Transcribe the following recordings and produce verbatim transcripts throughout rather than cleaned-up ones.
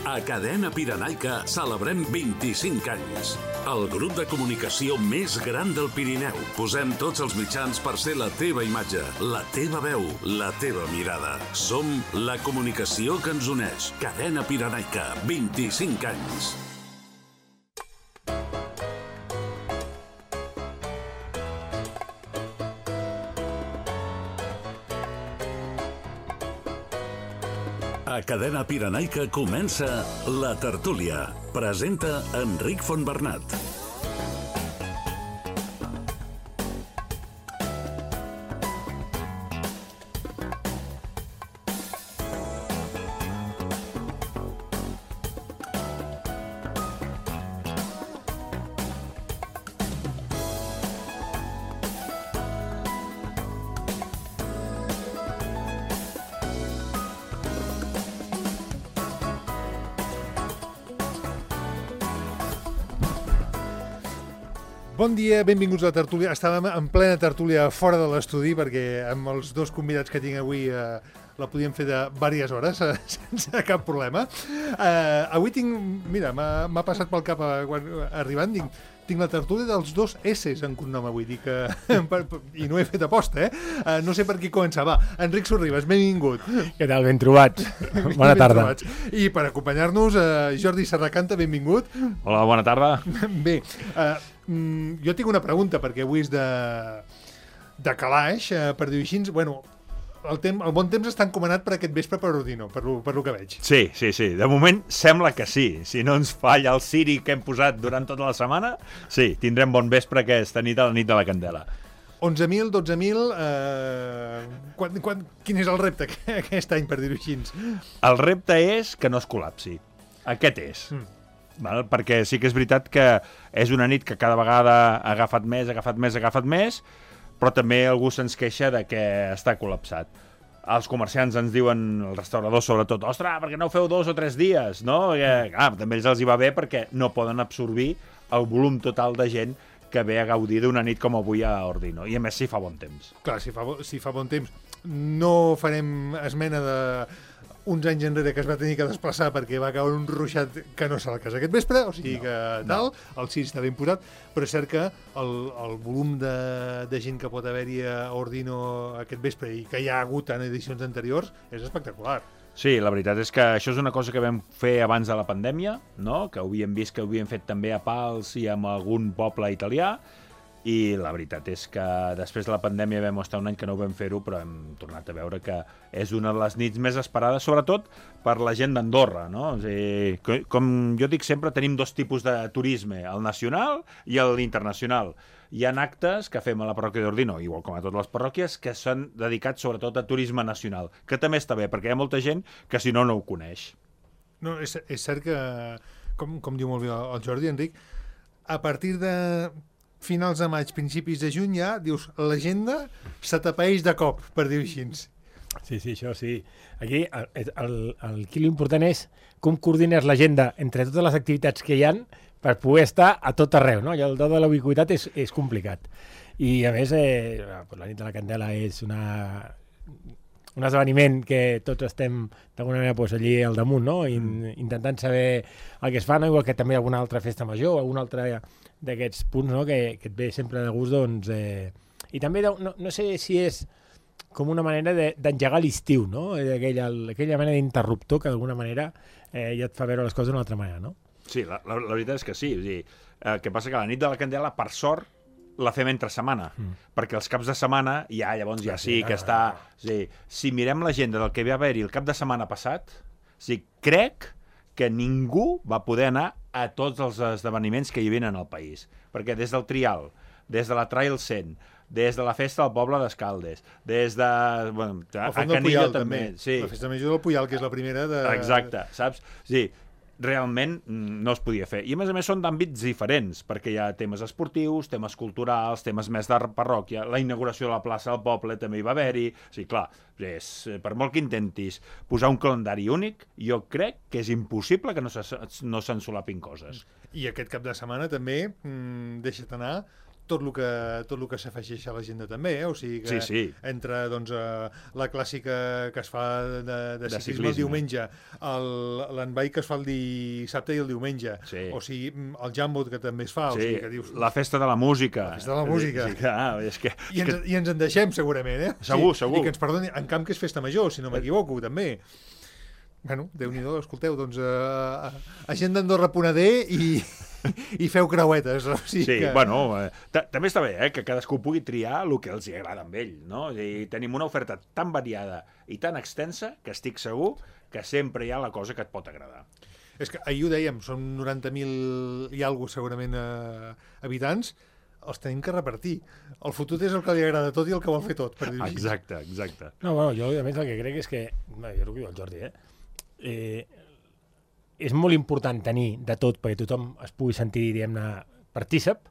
A Cadena Pirenaica celebrem vint-i-cinc anys. El grup de comunicació més gran del Pirineu. Posem tots els mitjans per ser la teva imatge, la teva veu, la teva mirada. Som la comunicació que ens uneix. Cadena Pirenaica, vint-i-cinc anys. A Cadena Pirenaica comença La Tertúlia. Presenta Enric Fontbernat. Bon dia, benvinguts a la tertúlia. Estàvem en plena tertúlia fora de l'estudi perquè amb els dos convidats que tinc avui eh, la podíem fer de diverses hores eh, sense cap problema. Eh, avui tinc, mira, m'ha passat pel cap eh, quan, arribant, tinc, tinc la tertúlia dels dos S's en cognom avui, dic, eh, per, i no he fet aposta, eh? eh? No sé per qui començar. Va, Enric Sorribas, benvingut. Què tal? Ben trobats. Bona ben tarda. Trobats. I per acompanyar-nos, eh, Jordi Serracanta, benvingut. Hola, bona tarda. Bé, eh, jo tinc una pregunta, perquè avui és de, de calaix, eh, per dir-ho així. Bueno, el, tem, el bon temps està encomanat per aquest vespre per Ordino, per lo, per lo que veig. Sí, sí, sí. De moment sembla que sí. Si no ens falla el Siri que hem posat durant tota la setmana, sí, tindrem bon vespre aquesta nit a la nit de la Candela. onze mil, dotze mil... Eh, quan, quan, quin és el repte aquest any, per dir-ho així? El repte és que no es col·lapsi. Aquest és. Mm. Val? Perquè sí que és veritat que és una nit que cada vegada ha agafat més, ha agafat més, ha agafat més, però també algú se'ns queixa de que està col·lapsat. Els comerciants ens diuen, els restauradors sobretot, ostres, perquè no ho feu dos o tres dies, no? I, clar, també ells els hi va bé perquè no poden absorbir el volum total de gent que ve a gaudir d'una nit com avui a Ordino. I a més si fa bon temps. Clar, si fa, si fa bon temps. No farem esmena de uns anys enrere que es va tenir que desplaçar perquè va caure un ruixat que no se la casa aquest vespre, o sigui no, que tal, no. El Siri està ben posat, però és cert que el, el volum de, de gent que pot haver-hi a Ordino aquest vespre i que hi ha hagut en edicions anteriors és espectacular. Sí, la veritat és que això és una cosa que vam fer abans de la pandèmia, no? Que ho havíem vist que ho havíem fet també a Pals i amb algun poble italià, i la veritat és que després de la pandèmia vam estar un any que no ho vam fer-ho, però hem tornat a veure que és una de les nits més esperades, sobretot per la gent d'Andorra, no? O sigui, com jo dic sempre, tenim dos tipus de turisme, el nacional i l'internacional. Hi ha actes que fem a la parròquia d'Ordino, igual com a totes les parròquies, que s'han dedicat sobretot a turisme nacional, que també està bé, perquè hi ha molta gent que si no, no ho coneix. No, és, és cert que, com, com diu molt bé el Jordi, Enric, a partir de finals de maig, principis de juny, ja, dius, l'agenda se t'apaeix de cop, per dir-ho així. Sí, sí, això sí. Aquí, el, el, el, aquí l'important és com coordines l'agenda entre totes les activitats que hi han per poder estar a tot arreu, no? I el do de la ubiquitat és, és complicat. I, a més, eh, la nit de la Candela és una, un esdeveniment que tots estem, d'alguna manera, pues, allí al damunt, no? In, intentant saber el que es fa, no? Igual que també alguna altra festa major, alguna altra d'aquests punts, no? que, que et ve sempre de gust, doncs... Eh... I també, no, no sé si és com una manera d'engegar l'estiu, no? Aquella, aquella mena d'interruptor que d'alguna manera eh, ja et fa veure les coses d'una altra manera, no? Sí, la, la, la veritat és que sí. O sigui, el que passa que la nit de la Candela, per sort, la fem entre setmana, mm. perquè els caps de setmana ja llavors ja sí que està... O sigui, si mirem l'agenda del que va haver-hi el cap de setmana passat, o sigui, crec que ningú va poder anar a tots els esdeveniments que hi havia en el país. Perquè des del Trial, des de la Trail cent, des de la festa del poble d'Escaldes, des de... Bueno, a Canillo Puyal, també. també. Sí. La festa major del Puyal, que és la primera de... Exacte, saps? Sí, realment no es podia fer. I a més a més són d'àmbits diferents, perquè hi ha temes esportius, temes culturals, temes més de parròquia, la inauguració de la plaça del poble també hi va haver-hi. O sigui, clar, és, per molt que intentis posar un calendari únic, jo crec que és impossible que no se, no s'ensolapin coses. I aquest cap de setmana també, mmm, deixa't anar, tot el que, tot el que s'afegeix a l'agenda també, eh? O sigui que sí, sí. entre doncs, la clàssica que es fa de, de, de ciclisme, ciclisme el diumenge, l'envai que es fa el dissabte i el diumenge, sí. o sigui, el jambot que també es fa. Sí. O sigui que dius, la festa de la música. La festa de la música. Sí, ah, és que, I, ens, I ens en deixem, segurament, eh? Segur, sí, segur. I que ens perdoni, en camp que és festa major, si no m'equivoco, també. Bueno, Déu-n'hi-do, escolteu, doncs, uh, agenda Andorra punt a d i... i feu creuetes. O sigui sí, que... bueno, eh, també està bé eh, que cadascú pugui triar el que els hi agrada amb ell, no? I tenim una oferta tan variada i tan extensa que estic segur que sempre hi ha la cosa que et pot agradar. És que ahir ho dèiem, són noranta mil i alguna segurament eh, habitants, els tenim que repartir. El fotut és el que li agrada tot i el que vol fer tot, per dir-ho així. Exacte, exacte. No, bueno, jo a més el que crec és que, jo el que diu el Jordi, eh? eh és molt important tenir de tot perquè tothom es pugui sentir, diguem-ne, partícip,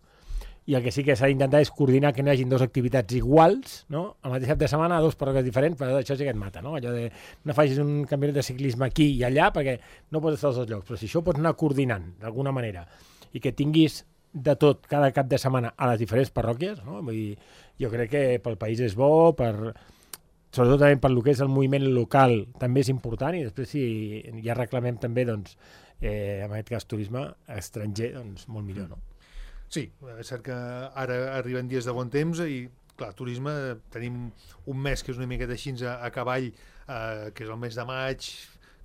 i el que sí que s'ha d'intentar és coordinar que no hi hagin dues activitats iguals, no? El mateix cap de setmana a dues parroquies diferents, però això sí que et mata, no? Allò de no facis un campionat de ciclisme aquí i allà perquè no pots estar als dos llocs, però si això pots anar coordinant d'alguna manera i que tinguis de tot cada cap de setmana a les diferents parròquies, no? Vull dir, jo crec que pel país és bo, per... sobretot també per lo que és el moviment local també és important, i després si ja reclamem també, doncs, eh, en aquest cas turisme estranger, doncs molt millor, no? Sí, és cert que ara arriben dies de bon temps i, clar, turisme, tenim un mes que és una miqueta així a, a cavall, eh, que és el mes de maig,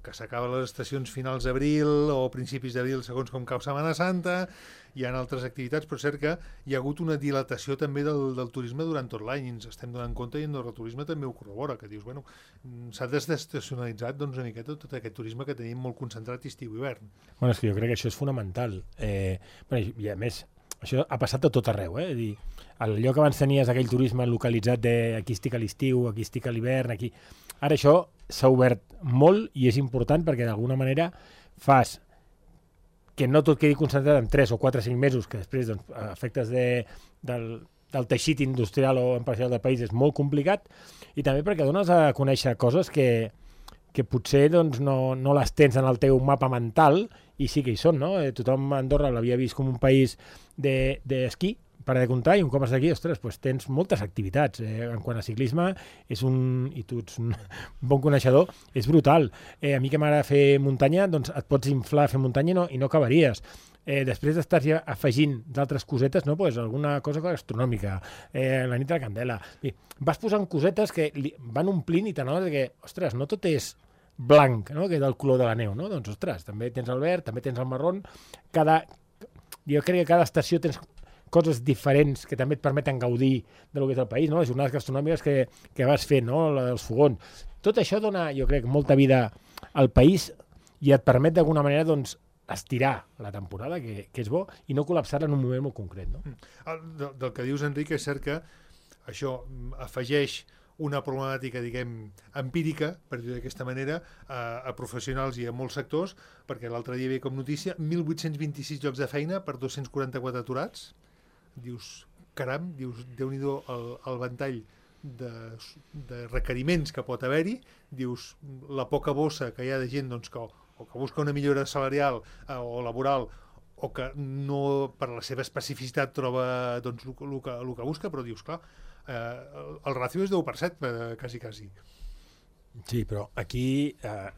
que s'acaben les estacions finals d'abril o principis d'abril, segons com cau Setmana Santa, hi ha altres activitats, però és cert que hi ha hagut una dilatació també del, del turisme durant tot l'any, i ens estem donant compte, i Andorra Turisme també ho corrobora, que dius, bueno, s'ha desestacionalitzat doncs, una miqueta tot aquest turisme que tenim molt concentrat estiu i hivern. Bueno, és que jo crec que això és fonamental. Eh, bueno, i a més, això ha passat a tot arreu, eh? És dir, el lloc abans tenies aquell turisme localitzat de aquí estic a l'estiu, aquí estic a l'hivern, aquí... Ara això s'ha obert molt i és important perquè d'alguna manera fas que no tot quedi concentrat en tres o quatre o cinc mesos, que després doncs, efectes de, del, del teixit industrial o empresarial del país és molt complicat, i també perquè dones a conèixer coses que, que potser doncs, no, no les tens en el teu mapa mental, i sí que hi són, no? Eh, tothom a Andorra l'havia vist com un país d'esquí, de, per de comptar, i un cop estàs aquí, ostres, doncs tens moltes activitats. Eh, en quant a ciclisme, és un, i tu ets un bon coneixedor, és brutal. Eh, a mi que m'agrada fer muntanya, doncs et pots inflar a fer muntanya i no, i no acabaries. Eh, després d'estar ja afegint d'altres cosetes, no? Pues alguna cosa gastronòmica, eh, la nit de la candela. I vas posant cosetes que li van omplint i t'anoves que, ostres, no tot és blanc, no? Que és del color de la neu, no? Doncs, ostres, també tens el verd, també tens el marró. Cada... Jo crec que cada estació tens coses diferents que també et permeten gaudir de lo que és el país, no? Les jornades gastronòmiques que, que vas fent, no? La dels fogons. Tot això dona, jo crec, molta vida al país i et permet d'alguna manera, doncs, estirar la temporada, que, que és bo, i no col·lapsar-la en un moment molt concret, no? El, del, del que dius, Enric, és cert que això afegeix una problemàtica, diguem, empírica, per dir d'aquesta manera, a, a professionals i a molts sectors, perquè l'altre dia hi havia com notícia mil vuit-cents vint-i-sis llocs de feina per dos-cents quaranta-quatre aturats. Dius, caram, dius, Déu-n'hi-do el, el ventall de, de requeriments que pot haver-hi, dius, la poca bossa que hi ha de gent doncs, que, o que busca una millora salarial eh, o laboral, o que no, per la seva especificitat, troba doncs, el, el, que, el que busca, però dius, clar, eh, el, el ràcio és deu per cent, eh, quasi, quasi. Sí, però aquí, eh,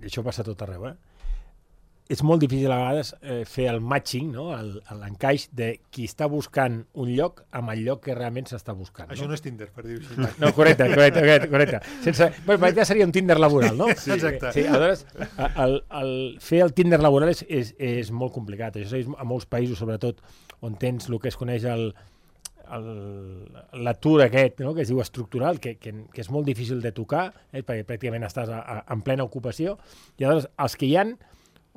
això passa a tot arreu, eh? És molt difícil a vegades eh, fer el matching, no? L'encaix de qui està buscant un lloc amb el lloc que realment s'està buscant. Això no? no és Tinder, per dir-ho així. No, correcte, correcte, correcte. correcte. Sense... Bueno, ja seria un Tinder laboral, no? Sí, exacte. Sí, aleshores, el, el fer el Tinder laboral és, és, és molt complicat. Això és a molts països, sobretot, on tens el que es coneix el l'atur aquest, no? Que es diu estructural, que, que, que és molt difícil de tocar, eh? Perquè pràcticament estàs a, a, en plena ocupació, i aleshores els que hi han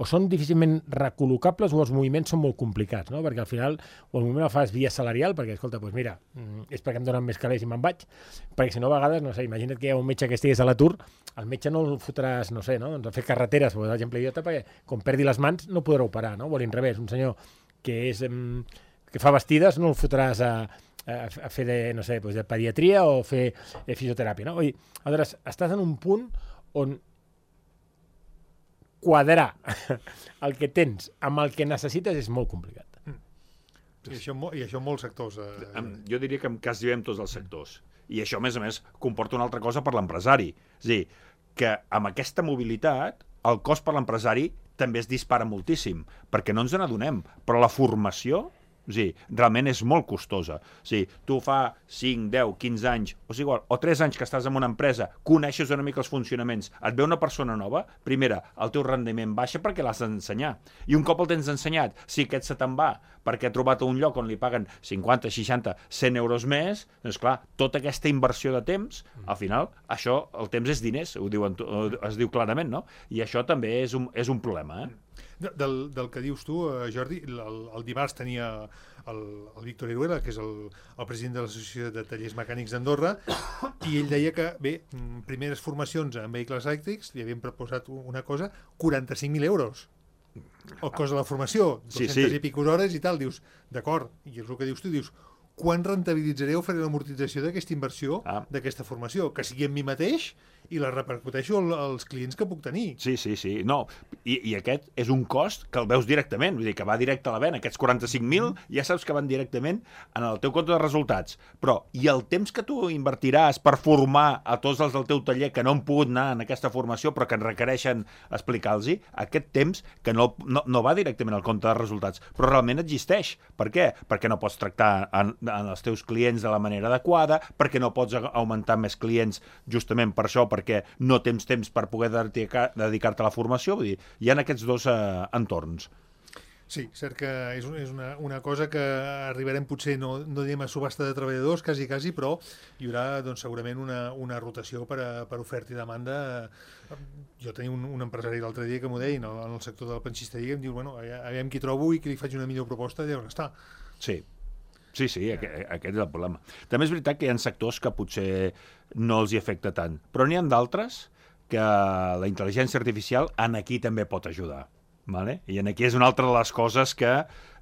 o són difícilment recol·locables o els moviments són molt complicats, no? Perquè al final o el moviment el fas via salarial, perquè, escolta, doncs mira, és perquè em donen més calés i me'n vaig, perquè si no a vegades, no sé, imagina't que hi ha un metge que estigués a l'atur, el metge no el fotràs, no sé, no? Doncs a fer carreteres, per exemple, idiota, perquè com perdi les mans no podrà operar, no? O a l'inrevés, un senyor que és que fa vestides no el fotràs a, a, a fer de, no sé, doncs de pediatria o fer de fisioteràpia, no? Vull dir, aleshores, estàs en un punt on quadrar el que tens amb el que necessites és molt complicat. I això, I això en molts sectors. Eh... Jo diria que en quasi en tots els sectors. I això, a més a més, comporta una altra cosa per l'empresari. És a dir, que amb aquesta mobilitat, el cost per l'empresari també es dispara moltíssim, perquè no ens n'adonem. Però la formació, o sigui, realment és molt costosa. O sigui, tu fa cinc, deu, quinze anys, o sigui, igual, o tres anys que estàs en una empresa, coneixes una mica els funcionaments, et ve una persona nova, primera, el teu rendiment baixa perquè l'has d'ensenyar. I un cop el tens ensenyat, si aquest se te'n va perquè ha trobat un lloc on li paguen cinquanta, seixanta, cent euros més, doncs clar, tota aquesta inversió de temps, al final, això, el temps és diners, ho diuen, es diu clarament, no? I això també és un, és un problema, eh? Del, del que dius tu, Jordi, el, el dimarts tenia el, el Víctor Iruela, que és el, el president de l'Associació de Tallers Mecànics d'Andorra, i ell deia que, bé, primeres formacions en vehicles elèctrics, li havien proposat una cosa, quaranta-cinc mil euros. El cost de la formació, dues-centes sí, sí. i pico hores i tal, dius, d'acord, i és el que dius tu, dius, quan rentabilitzaré o faré l'amortització d'aquesta inversió, ah. d'aquesta formació? Que sigui en mi mateix i la repercuteixo als clients que puc tenir. Sí, sí, sí. No, i, i aquest és un cost que el veus directament, vull dir, que va directe a la vena. Aquests quaranta-cinc mil mm. ja saps que van directament en el teu compte de resultats. Però, i el temps que tu invertiràs per formar a tots els del teu taller que no han pogut anar en aquesta formació però que en requereixen explicar-los, aquest temps que no, no, no va directament al compte de resultats, però realment existeix. Per què? Perquè no pots tractar en, en els teus clients de la manera adequada, perquè no pots augmentar més clients justament per això, perquè no tens temps per poder dedicar-te a la formació. Vull dir, hi ha aquests dos eh, entorns. Sí, cert que és, és una, una cosa que arribarem potser, no, no diem a subhasta de treballadors, quasi, quasi, però hi haurà doncs, segurament una, una rotació per, a, per oferta i demanda. Jo tenia un, un empresari l'altre dia que m'ho deia, no, en el sector de la pensisteria, em diu, bueno, aviam qui trobo i que li faig una millor proposta, i on està. Sí. Sí, sí, aquest, aquest és el problema. També és veritat que hi ha sectors que potser no els hi afecta tant, però n'hi ha d'altres que la intel·ligència artificial en aquí també pot ajudar. Vale? I en aquí és una altra de les coses que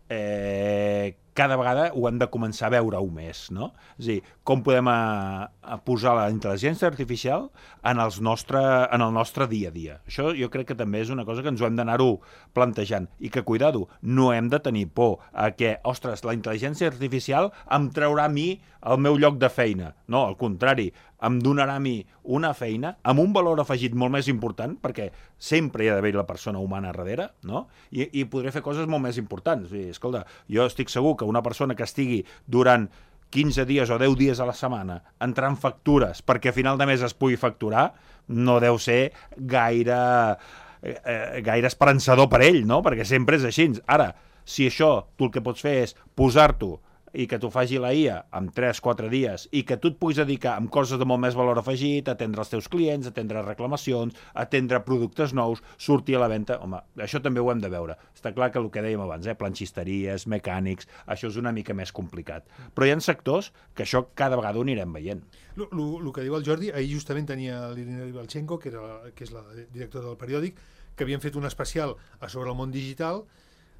eh, cada vegada ho hem de començar a veure-ho més, no? És a dir, com podem a, a posar la intel·ligència artificial en, els nostre, en el nostre dia a dia. Això jo crec que també és una cosa que ens ho hem d'anar-ho plantejant i que, cuidado, no hem de tenir por a que, ostres, la intel·ligència artificial em traurà a mi el meu lloc de feina. No, al contrari, em donarà a mi una feina amb un valor afegit molt més important, perquè sempre hi ha d'haver la persona humana darrere, no? I, i podré fer coses molt més importants. I, escolta, jo estic segur que una persona que estigui durant quinze dies o deu dies a la setmana entrant factures perquè a final de mes es pugui facturar, no deu ser gaire, eh, gaire esperançador per ell, no? Perquè sempre és així. Ara, si això tu el que pots fer és posar-t'ho i que t'ho faci la I A en tres quatre dies i que tu et puguis dedicar amb coses de molt més valor afegit, atendre els teus clients, atendre reclamacions, atendre productes nous, sortir a la venda, home, això també ho hem de veure. Està clar que el que dèiem abans, eh, planxisteries, mecànics, això és una mica més complicat. Però hi ha sectors que això cada vegada ho anirem veient. El que diu el Jordi, ahir justament tenia l'Irina Ribalchenko, que, era, que és la directora del periòdic, que havien fet un especial sobre el món digital.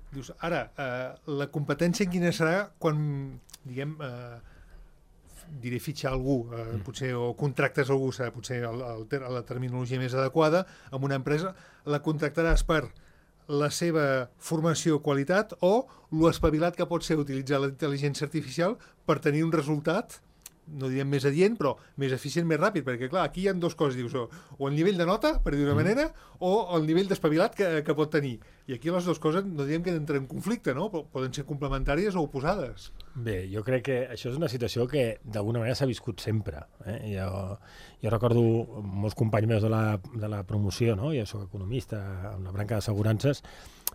Dius, ara, eh, la competència quina serà quan, diguem, eh, diré fitxar algú, eh, potser, o contractes algú, serà potser el, el, la terminologia més adequada, amb una empresa, la contractaràs per la seva formació o qualitat o l'espavilat que pot ser utilitzar la intel·ligència artificial per tenir un resultat, no direm més adient, però més eficient, més ràpid, perquè clar, aquí hi ha dues coses, dius, o, o el nivell de nota, per dir d'una mm. manera, o el nivell d'espavilat que, que pot tenir. I aquí les dues coses no direm que entren en conflicte, no? Però poden ser complementàries o oposades. Bé, jo crec que això és una situació que d'alguna manera s'ha viscut sempre. Eh? Jo, jo recordo molts companys meus de la, de la promoció, no? Jo soc economista en la branca d'assegurances,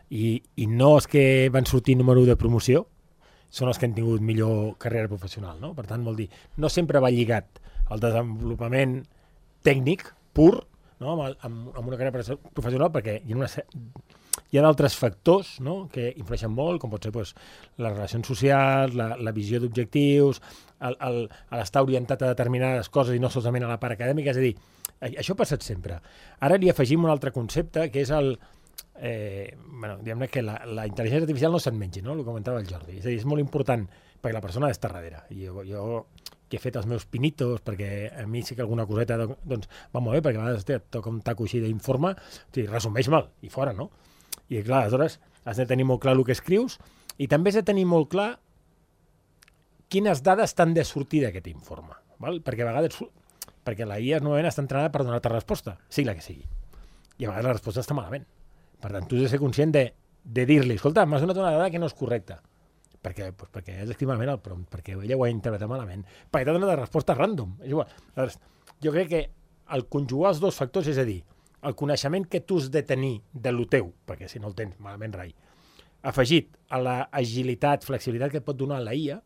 i, i no és que van sortir número de promoció, són els que han tingut millor carrera professional, no? Per tant, vol dir, no sempre va lligat al desenvolupament tècnic pur, no? amb, amb, amb una carrera professional, perquè hi ha, una, hi ha d'altres factors, no? Que influeixen molt, com pot ser pues, les relacions socials, la, la visió d'objectius, l'estar orientat a determinades coses i no solament a la part acadèmica. És a dir, això ha passat sempre. Ara li afegim un altre concepte, que és el... Eh, bueno, diguem-ne que la, la intel·ligència artificial no se'n mengi, no? El que comentava el Jordi. És a dir, és molt important perquè la persona ha d'estar darrere. I jo, jo que he fet els meus pinitos, perquè a mi sí que alguna coseta doncs, va molt bé, perquè a vegades et toca un taco així d'informe, o sigui, resumeix mal, i fora, no? I clar, aleshores has de tenir molt clar el que escrius i també has de tenir molt clar quines dades t'han de sortir d'aquest informe, val? Perquè a vegades, perquè la I A normalment està entrenada per donar-te resposta, sigui la que sigui, i a vegades la resposta està malament. Per tant, tu has de ser conscient de, de dir-li, escolta, m'has donat una dada que no és correcta, perquè, pues, perquè has escrit malament el prompt, perquè ella ho ha interpretat malament, perquè t'ha donat la resposta random. És igual. Llavors, jo crec que el conjugar els dos factors, és a dir, el coneixement que tu has de tenir de lo teu, perquè si no el tens, malament rai, afegit a la agilitat, flexibilitat que et pot donar la I A,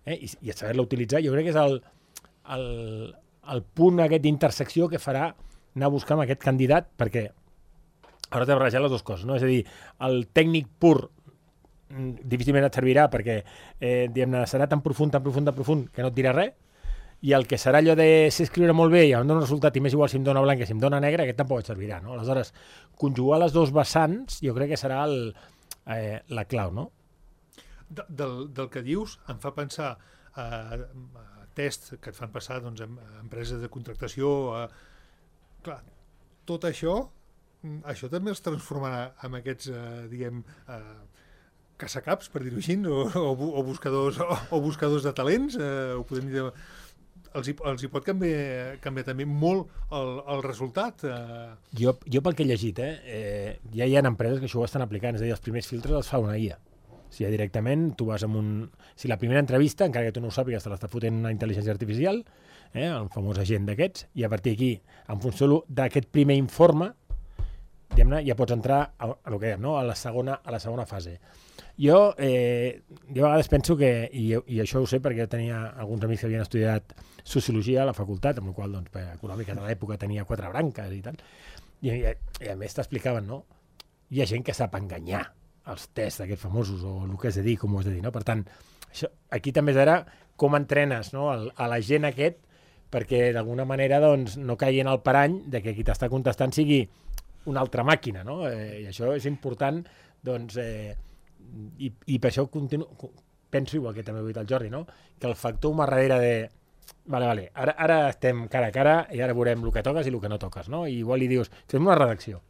eh, i, i saber-la utilitzar, jo crec que és el, el, el punt aquest d'intersecció que farà anar a buscar amb aquest candidat, perquè ara t'he barrejat les dues coses, no? És a dir, el tècnic pur difícilment et servirà perquè eh, diguem-ne, serà tan profund, tan profund, tan profund que no et dirà res, i el que serà allò de ser escriure molt bé i em dona un resultat i més igual si em dona blanc que si em dona negre, aquest tampoc et servirà, no? Aleshores, conjugar les dos vessants jo crec que serà el, eh, la clau, no? De, del, del que dius em fa pensar a, a tests que et fan passar doncs, a empreses de contractació, a... clar, tot això això també els transformarà en aquests, eh, diguem, eh, caçacaps, per dir-ho així, o, o, o, buscadors, o, o buscadors de talents, eh, ho podem dir, els hi, els hi pot canviar, canviar també molt el, el resultat. Eh. Jo, jo pel que he llegit, eh, eh, ja hi ha empreses que això ho estan aplicant, és a dir, els primers filtres els fa una I A. O sigui, directament tu vas amb un... Si la primera entrevista, encara que tu no ho sàpigues, te l'està fotent una intel·ligència artificial, eh, el famós agent d'aquests, i a partir d'aquí, en funció d'aquest primer informe, diguem-ne, ja pots entrar a, a, lo que dèiem, no? a, la segona, a la segona fase. Jo, eh, jo a vegades penso que, i, i això ho sé perquè jo tenia alguns amics que havien estudiat sociologia a la facultat, amb la qual doncs, per econòmica de l'època tenia quatre branques i tal, i, i, i a més t'explicaven, no? Hi ha gent que sap enganyar els tests d'aquests famosos, o el que has de dir, com ho has de dir, no? Per tant, això, aquí també és ara com entrenes, no? El, a la gent aquest perquè d'alguna manera doncs, no caigui en el parany de que qui t'està contestant sigui una altra màquina, no? Eh, I això és important, doncs, eh, i, i per això continuo, penso, igual que també ho ha dit el Jordi, no? Que el factor humà darrere de vale, vale, ara, ara estem cara a cara i ara veurem el que toques i el que no toques, no? I igual li dius, fem una redacció.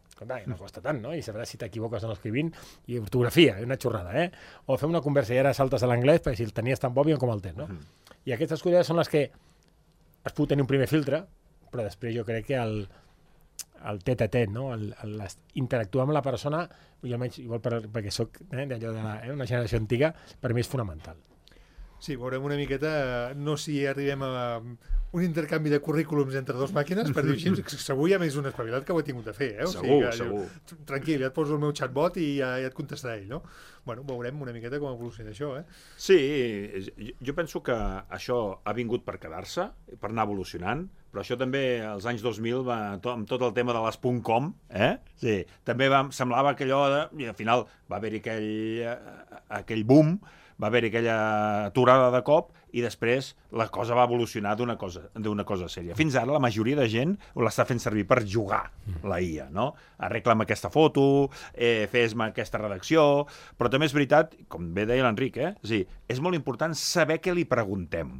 Escolta, no costa tant, no? I sabràs si t'equivoques en l'escrivint i ortografia, una xorrada, eh? O fem una conversa i ara saltes a l'anglès perquè si el tenies tan bo, com el tens, no? Uh-huh. I aquestes coses són les que es pot tenir un primer filtre, però després jo crec que el el tet a tet, no? el, el, interactuar amb la persona, i almenys, igual per, perquè soc eh, d'allò de la, eh, una generació antiga, per mi és fonamental. Sí, veurem una miqueta, no si arribem a un intercanvi de currículums entre dues màquines, per dir així, segur ja més un espavilat que ho he tingut de fer, eh? O segur, sigui que, segur. Jo, tranquil, ja et poso el meu chatbot i ja, ja et contestarà ell, no? Bueno, veurem una miqueta com evoluciona això, eh? Sí, jo penso que això ha vingut per quedar-se, per anar evolucionant, però això també als anys dos mil, va, to, amb tot el tema de les .com, eh? Sí, també va, semblava que allò, de, i al final va haver-hi aquell, aquell boom, va haver-hi aquella aturada de cop i després la cosa va evolucionar d'una cosa, d'una cosa sèria. Fins ara la majoria de gent l'està fent servir per jugar, la I A, no? Arregla'm aquesta foto, eh, fes-me aquesta redacció, però també és veritat, com bé deia l'Enric, eh? És dir, és molt important saber què li preguntem,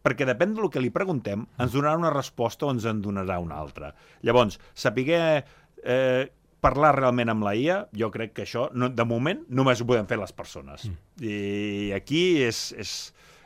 perquè depèn del que li preguntem, ens donarà una resposta o ens en donarà una altra. Llavors, saber eh, parlar realment amb la I A, jo crec que això, no, de moment, només ho podem fer les persones. Mm. I aquí és, és,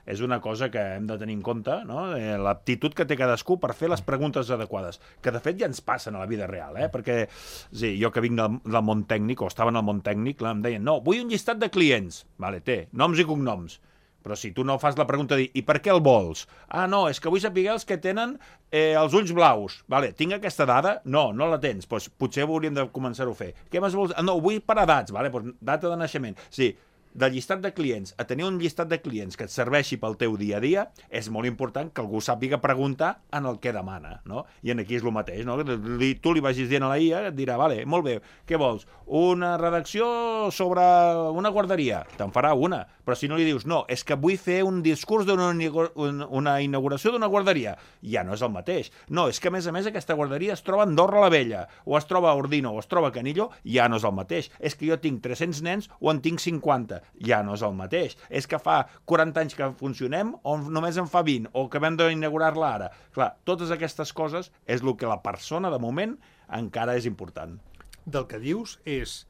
és una cosa que hem de tenir en compte, no? L'aptitud que té cadascú per fer les preguntes adequades, que de fet ja ens passen a la vida real, eh? Perquè sí, jo que vinc del, del món tècnic, o estava en el món tècnic, em deien, no, vull un llistat de clients. Vale, té, noms i cognoms. Però si tu no fas la pregunta de dir, i per què el vols? Ah, no, és que vull saber els que tenen eh, els ulls blaus. Vale, tinc aquesta dada? No, no la tens. Pues, potser hauríem de començar-ho a fer. Què més vols? Ah, no, vull per edats. Vale, pues, data de naixement. Sí, del llistat de clients a tenir un llistat de clients que et serveixi pel teu dia a dia, és molt important que algú sàpiga preguntar en el que demana, no? I en aquí és el mateix, no? Tu li vagis dient a la I A, et dirà, vale, molt bé, què vols? Una redacció sobre una guarderia. Te'n farà una. Però si no li dius, no, és que vull fer un discurs d'una una inauguració d'una guarderia, ja no és el mateix. No, és que a més a més aquesta guarderia es troba a Andorra la Vella, o es troba a Ordino, o es troba a Canillo, ja no és el mateix. És que jo tinc tres-cents nens o en tinc cinquanta, ja no és el mateix. És que fa quaranta anys que funcionem o només en fa vint, o que vam d'inaugurar-la ara. Clar, totes aquestes coses és el que la persona, de moment, encara és important. Del que dius és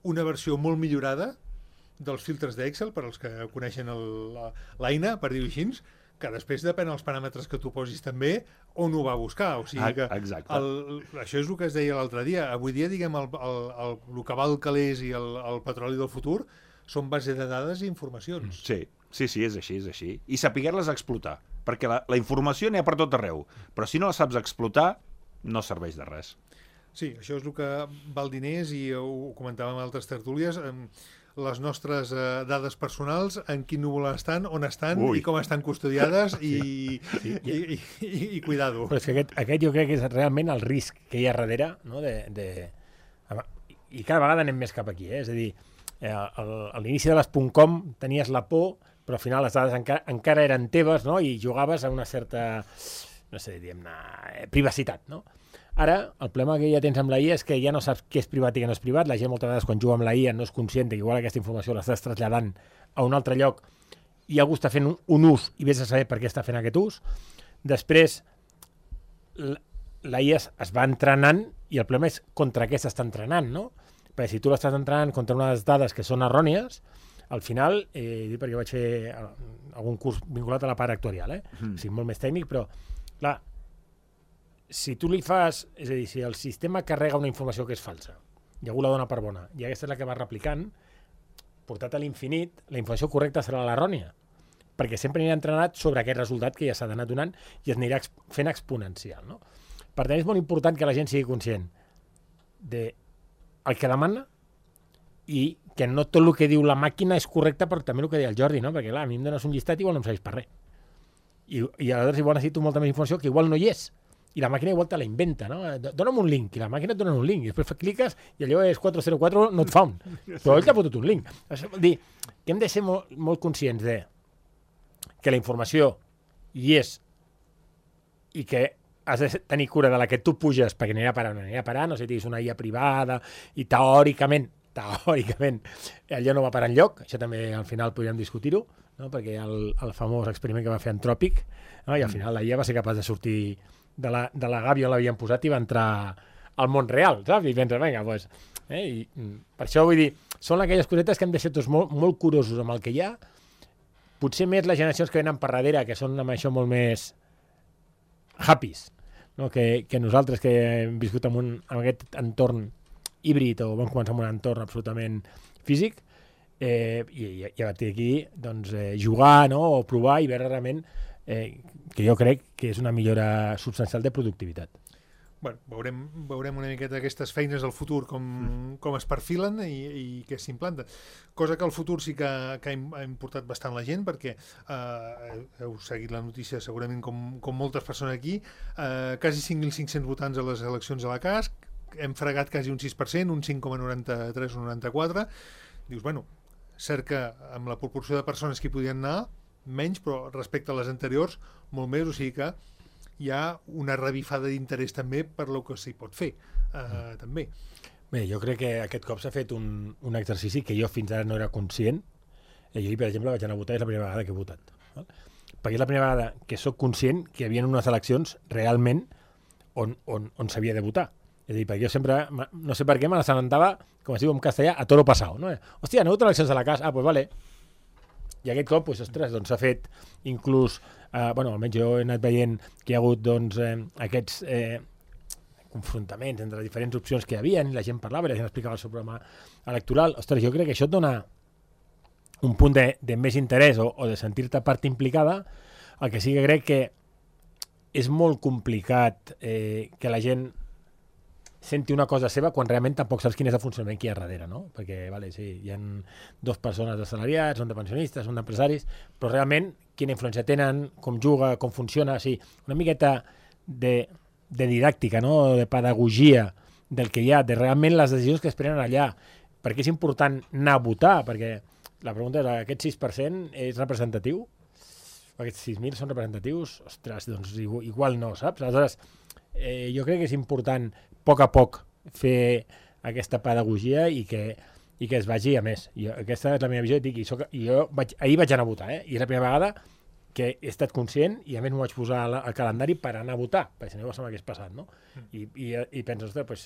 una versió molt millorada dels filtres d'Excel, per als que coneixen l'eina, per dir-ho així, que després depèn dels paràmetres que tu posis també on ho va buscar. O sigui que Exacte. el, això és el que es deia l'altre dia. Avui dia, diguem, el, el, el, el que val calés i el, el petroli del futur són base de dades i informacions. Sí, sí, sí, és així, és així. I saber-les explotar, perquè la, la informació n'hi ha per tot arreu, però si no la saps explotar, no serveix de res. Sí, això és el que val diners i ho comentàvem en altres tertúlies. Les nostres eh, dades personals, en quin núvol estan, on estan Ui. i com estan custodiades i, sí. i, i, i, i cuidado. Però és que aquest, aquest jo crec que és realment el risc que hi ha darrere, no? de, de... i cada vegada anem més cap aquí, eh? És a dir, eh, al, a l'inici de les .com tenies la por, però al final les dades encara, encara eren teves, no? I jugaves a una certa, no sé, diguem-ne, privacitat, no? Ara, el problema que ja tens amb la I A és que ja no saps què és privat i què no és privat. La gent moltes vegades quan juga amb la I A no és conscient que igual aquesta informació l'estàs traslladant a un altre lloc i algú està fent un, un ús i vés a saber per què està fent aquest ús. Després, la, la I A es, es va entrenant i el problema és contra què s'està entrenant, no? Perquè si tu l'estàs entrenant contra unes dades que són errònies, al final, eh, dic perquè vaig fer algun curs vinculat a la part actuarial, eh? Mm. O sigui, molt més tècnic, però, clar, si tu li fas, és a dir, si el sistema carrega una informació que és falsa i algú la dona per bona i aquesta és la que va replicant, portat a l'infinit, la informació correcta serà l'errònia, perquè sempre anirà entrenat sobre aquest resultat que ja s'ha d'anar donant i es anirà fent exponencial, no? Per tant, és molt important que la gent sigui conscient de el que demana i que no tot el que diu la màquina és correcte, però també el que deia el Jordi, no? Perquè, clar, a mi em dones un llistat i igual no em serveix per res. I, i aleshores igual necessito molta més informació que igual no hi és. I la màquina igual te la inventa, no? Dóna'm un link, i la màquina et dona un link, i després cliques i allò és quatre zero quatre not found. Però ell t'ha fotut un link. Això vol dir que hem de ser molt, molt conscients de que la informació hi és i que has de tenir cura de la que tu puges perquè anirà a parar, no anirà a parar, no sé si és una I A privada i teòricament, teòricament, allò no va parar enlloc, això també al final podríem discutir-ho, no? Perquè el, el famós experiment que va fer Anthropic, no? I al final la I A va ser capaç de sortir de la, de la gàbia on l'havien posat i va entrar al món real, saps? I penses, vinga, doncs... Eh? I, per això vull dir, són aquelles cosetes que hem de ser tots molt, molt curosos amb el que hi ha, potser més les generacions que venen per darrere, que són amb això molt més happys, no? que, que nosaltres que hem viscut en, un, en aquest entorn híbrid o vam començar en un entorn absolutament físic, eh, i, i, i a partir d'aquí doncs, eh, jugar, no? O provar i veure realment Eh, que jo crec que és una millora substancial de productivitat. Bueno, veurem, veurem una miqueta aquestes feines del futur com, mm. com es perfilen i, i què s'implanten. Cosa que el futur sí que, que ha importat bastant la gent, perquè eh, heu seguit la notícia segurament com, com moltes persones aquí, eh, quasi cinc mil cinc-cents votants a les eleccions a la C A S, hem fregat quasi un sis per cent, un cinc coma noranta-tres o noranta-quatre. Dius, bueno, cert que amb la proporció de persones que hi podien anar, menys, però respecte a les anteriors, molt més, o sigui que hi ha una revifada d'interès també per lo que s'hi pot fer, eh, mm. també. Bé, jo crec que aquest cop s'ha fet un, un exercici que jo fins ara no era conscient. Eh, jo, per exemple, vaig anar a votar, és la primera vegada que he votat. Val? Perquè és la primera vegada que sóc conscient que hi havia unes eleccions realment on, on, on s'havia de votar. És a dir, perquè jo sempre, no sé per què, me l'assabentava, com es diu en castellà, a toro passau. No? Hòstia, aneu a eleccions a la casa? Ah, doncs vale. I aquest cop, doncs, ostres, doncs s'ha fet inclús, eh, bueno, almenys jo he anat veient que hi ha hagut, doncs, eh, aquests eh, confrontaments entre les diferents opcions que hi havia, i la gent parlava, i la gent explicava el seu programa electoral. Ostres, jo crec que això et dona un punt de, de més interès o, o de sentir-te part implicada, el que sí que crec que és molt complicat eh, que la gent senti una cosa seva quan realment tampoc saps quin és el funcionament que hi ha darrere, no? Perquè, vale, sí, hi ha dues persones assalariats, són de pensionistes, són d'empresaris, però realment quina influència tenen, com juga, com funciona, o sigui, una miqueta de, de didàctica, no? De pedagogia del que hi ha, de realment les decisions que es prenen allà, perquè és important anar a votar, perquè la pregunta és, aquest sis per cent és representatiu? Aquests sis mil són representatius? Ostres, doncs igual no, saps? Aleshores, eh, jo crec que és important a poc a poc fer aquesta pedagogia i que, i que es vagi a més. I aquesta és la meva visió, i, dic, i, soc, i jo vaig, ahir vaig anar a votar, eh? I és la primera vegada que he estat conscient i a més m'ho vaig posar al, al calendari per anar a votar, perquè si no ja se m'hagués passat, no? I, i, i penso, ostres, pues,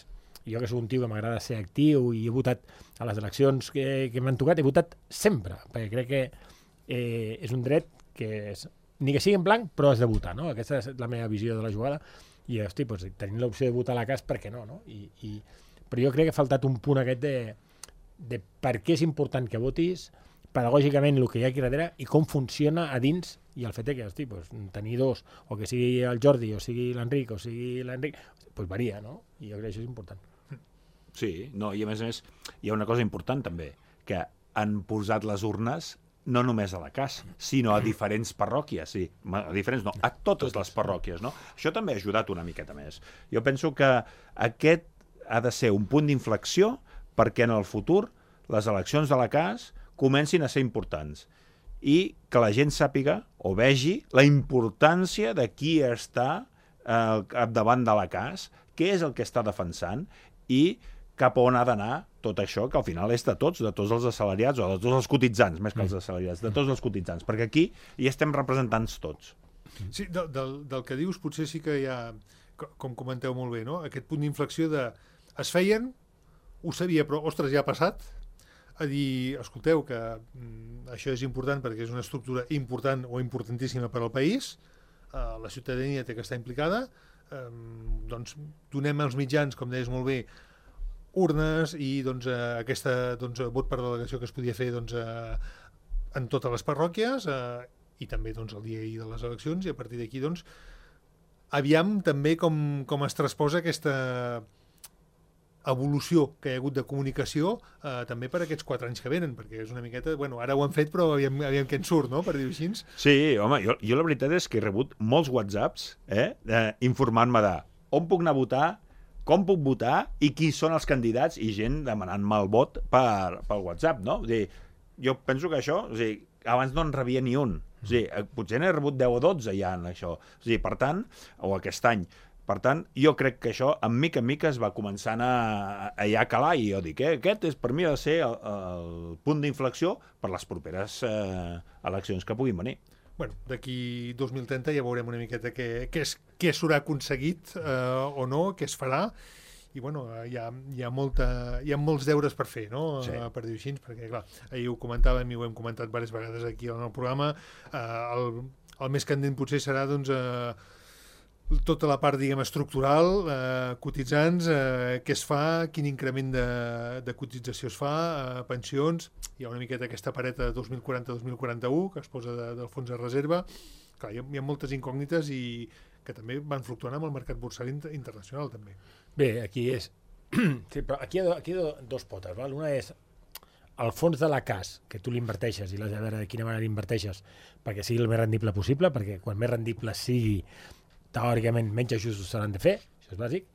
jo que soc un tio que m'agrada ser actiu i he votat a les eleccions que, que m'han tocat, he votat sempre, perquè crec que eh, és un dret que és, ni que sigui en blanc, però has de votar, no? Aquesta és la meva visió de la jugada, i hosti, doncs, tenint l'opció de votar a la casa, per què no, no? I, i, però jo crec que ha faltat un punt aquest de, de per què és important que votis, pedagògicament el que hi ha aquí darrere i com funciona a dins, i el fet de que, hosti, doncs, tenir dos, o que sigui el Jordi, o sigui l'Enric, o sigui l'Enric, doncs varia, no? I jo crec que això és important. Sí, no, i a més a més hi ha una cosa important també, que han posat les urnes no només a la casa, sinó a diferents parròquies, sí, a diferents no, a totes les parròquies, no? Això també ha ajudat una miqueta més. Jo penso que aquest ha de ser un punt d'inflexió perquè en el futur les eleccions de la casa comencin a ser importants i que la gent sàpiga o vegi la importància de qui està al capdavant de la casa, què és el que està defensant i cap on ha d'anar tot això, que al final és de tots, de tots els assalariats, o de tots els cotitzants, més que els assalariats, de tots els cotitzants, perquè aquí hi estem representants tots. Sí, del, del, del que dius potser sí que hi ha, com comenteu molt bé, no? Aquest punt d'inflexió de es feien, ho sabia, però, ostres, ja ha passat, a dir, escolteu, que mm, això és important perquè és una estructura important o importantíssima per al país, eh, la ciutadania té que estar implicada, eh, doncs donem als mitjans, com deies molt bé, urnes i doncs, eh, aquesta doncs, vot per delegació que es podia fer doncs, eh, en totes les parròquies eh, i també doncs, el dia de les eleccions, i a partir d'aquí doncs, aviam també com, com es transposa aquesta evolució que hi ha hagut de comunicació eh, també per aquests quatre anys que venen, perquè és una miqueta, bueno, ara ho han fet però aviam, aviam què en surt, no?, per dir-ho així. Sí, home, jo, jo la veritat és que he rebut molts whatsapps eh, eh, informant-me de on puc anar a votar, com puc votar i qui són els candidats, i gent demanant-me el vot per, per WhatsApp, no? O sigui, jo penso que això, o sigui, abans no en rebia ni un. O sigui, potser n'he rebut deu o dotze ja en això. O sigui, per tant, o aquest any. Per tant, jo crec que això, en mica en mica, es va començant a, a ja calar, i jo dic, eh, aquest és, per mi ha de ser el, el punt d'inflexió per les properes eh, eleccions que puguin venir. Bueno, d'aquí dos mil trenta ja veurem una miqueta què, què, és, què s'haurà aconseguit eh, o no, què es farà, i bueno, hi ha, hi ha, molta, hi ha molts deures per fer, no? Sí. Uh, per dir-ho així, perquè clar, ahir ho comentàvem i ho hem comentat diverses vegades aquí en el programa, uh, el, el més candent potser serà doncs, uh, tota la part, diguem, estructural, eh, cotitzants, eh, què es fa, quin increment de, de cotització es fa, eh, pensions, hi ha una miqueta aquesta pareta de dos mil quaranta a dos mil quaranta-u que es posa de, del fons de reserva. Clar, hi ha, hi ha moltes incògnites i que també van fluctuant amb el mercat borsari inter internacional també. Bé, aquí és... sí, però aquí hi ha, aquí hi ha dos potes, val? Una és el fons de la cas, que tu l'inverteixes i l'has de veure de quina manera l'inverteixes perquè sigui el més rendible possible, perquè quan més rendible sigui, teòricament menys ajustos s'han de fer, això és bàsic,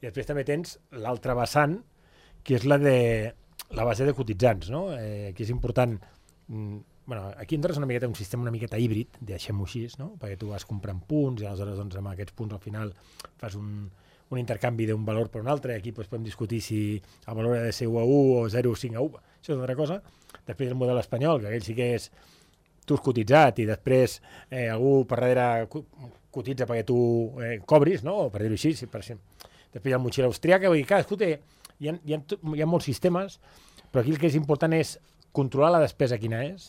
i després també tens l'altra vessant, que és la de la base de cotitzants, no? Eh, aquí és important, mm, bueno, aquí entres una miqueta un sistema una miqueta híbrid, deixem-ho així, no? Perquè tu vas comprant punts i aleshores doncs, amb aquests punts al final fas un, un intercanvi d'un valor per un altre, aquí doncs, podem discutir si el valor ha de ser u a u o zero coma cinc a u, això és una altra cosa. Després el model espanyol, que aquell sí que és tu has cotitzat i després eh, algú per darrere cotitza perquè tu eh, cobris, no? O per dir-ho així, si per exemple. Després hi ha el motxilla austríaca, vull dir, cadascú té, hi ha, hi, ha, hi ha molts sistemes, però aquí el que és important és controlar la despesa quina és,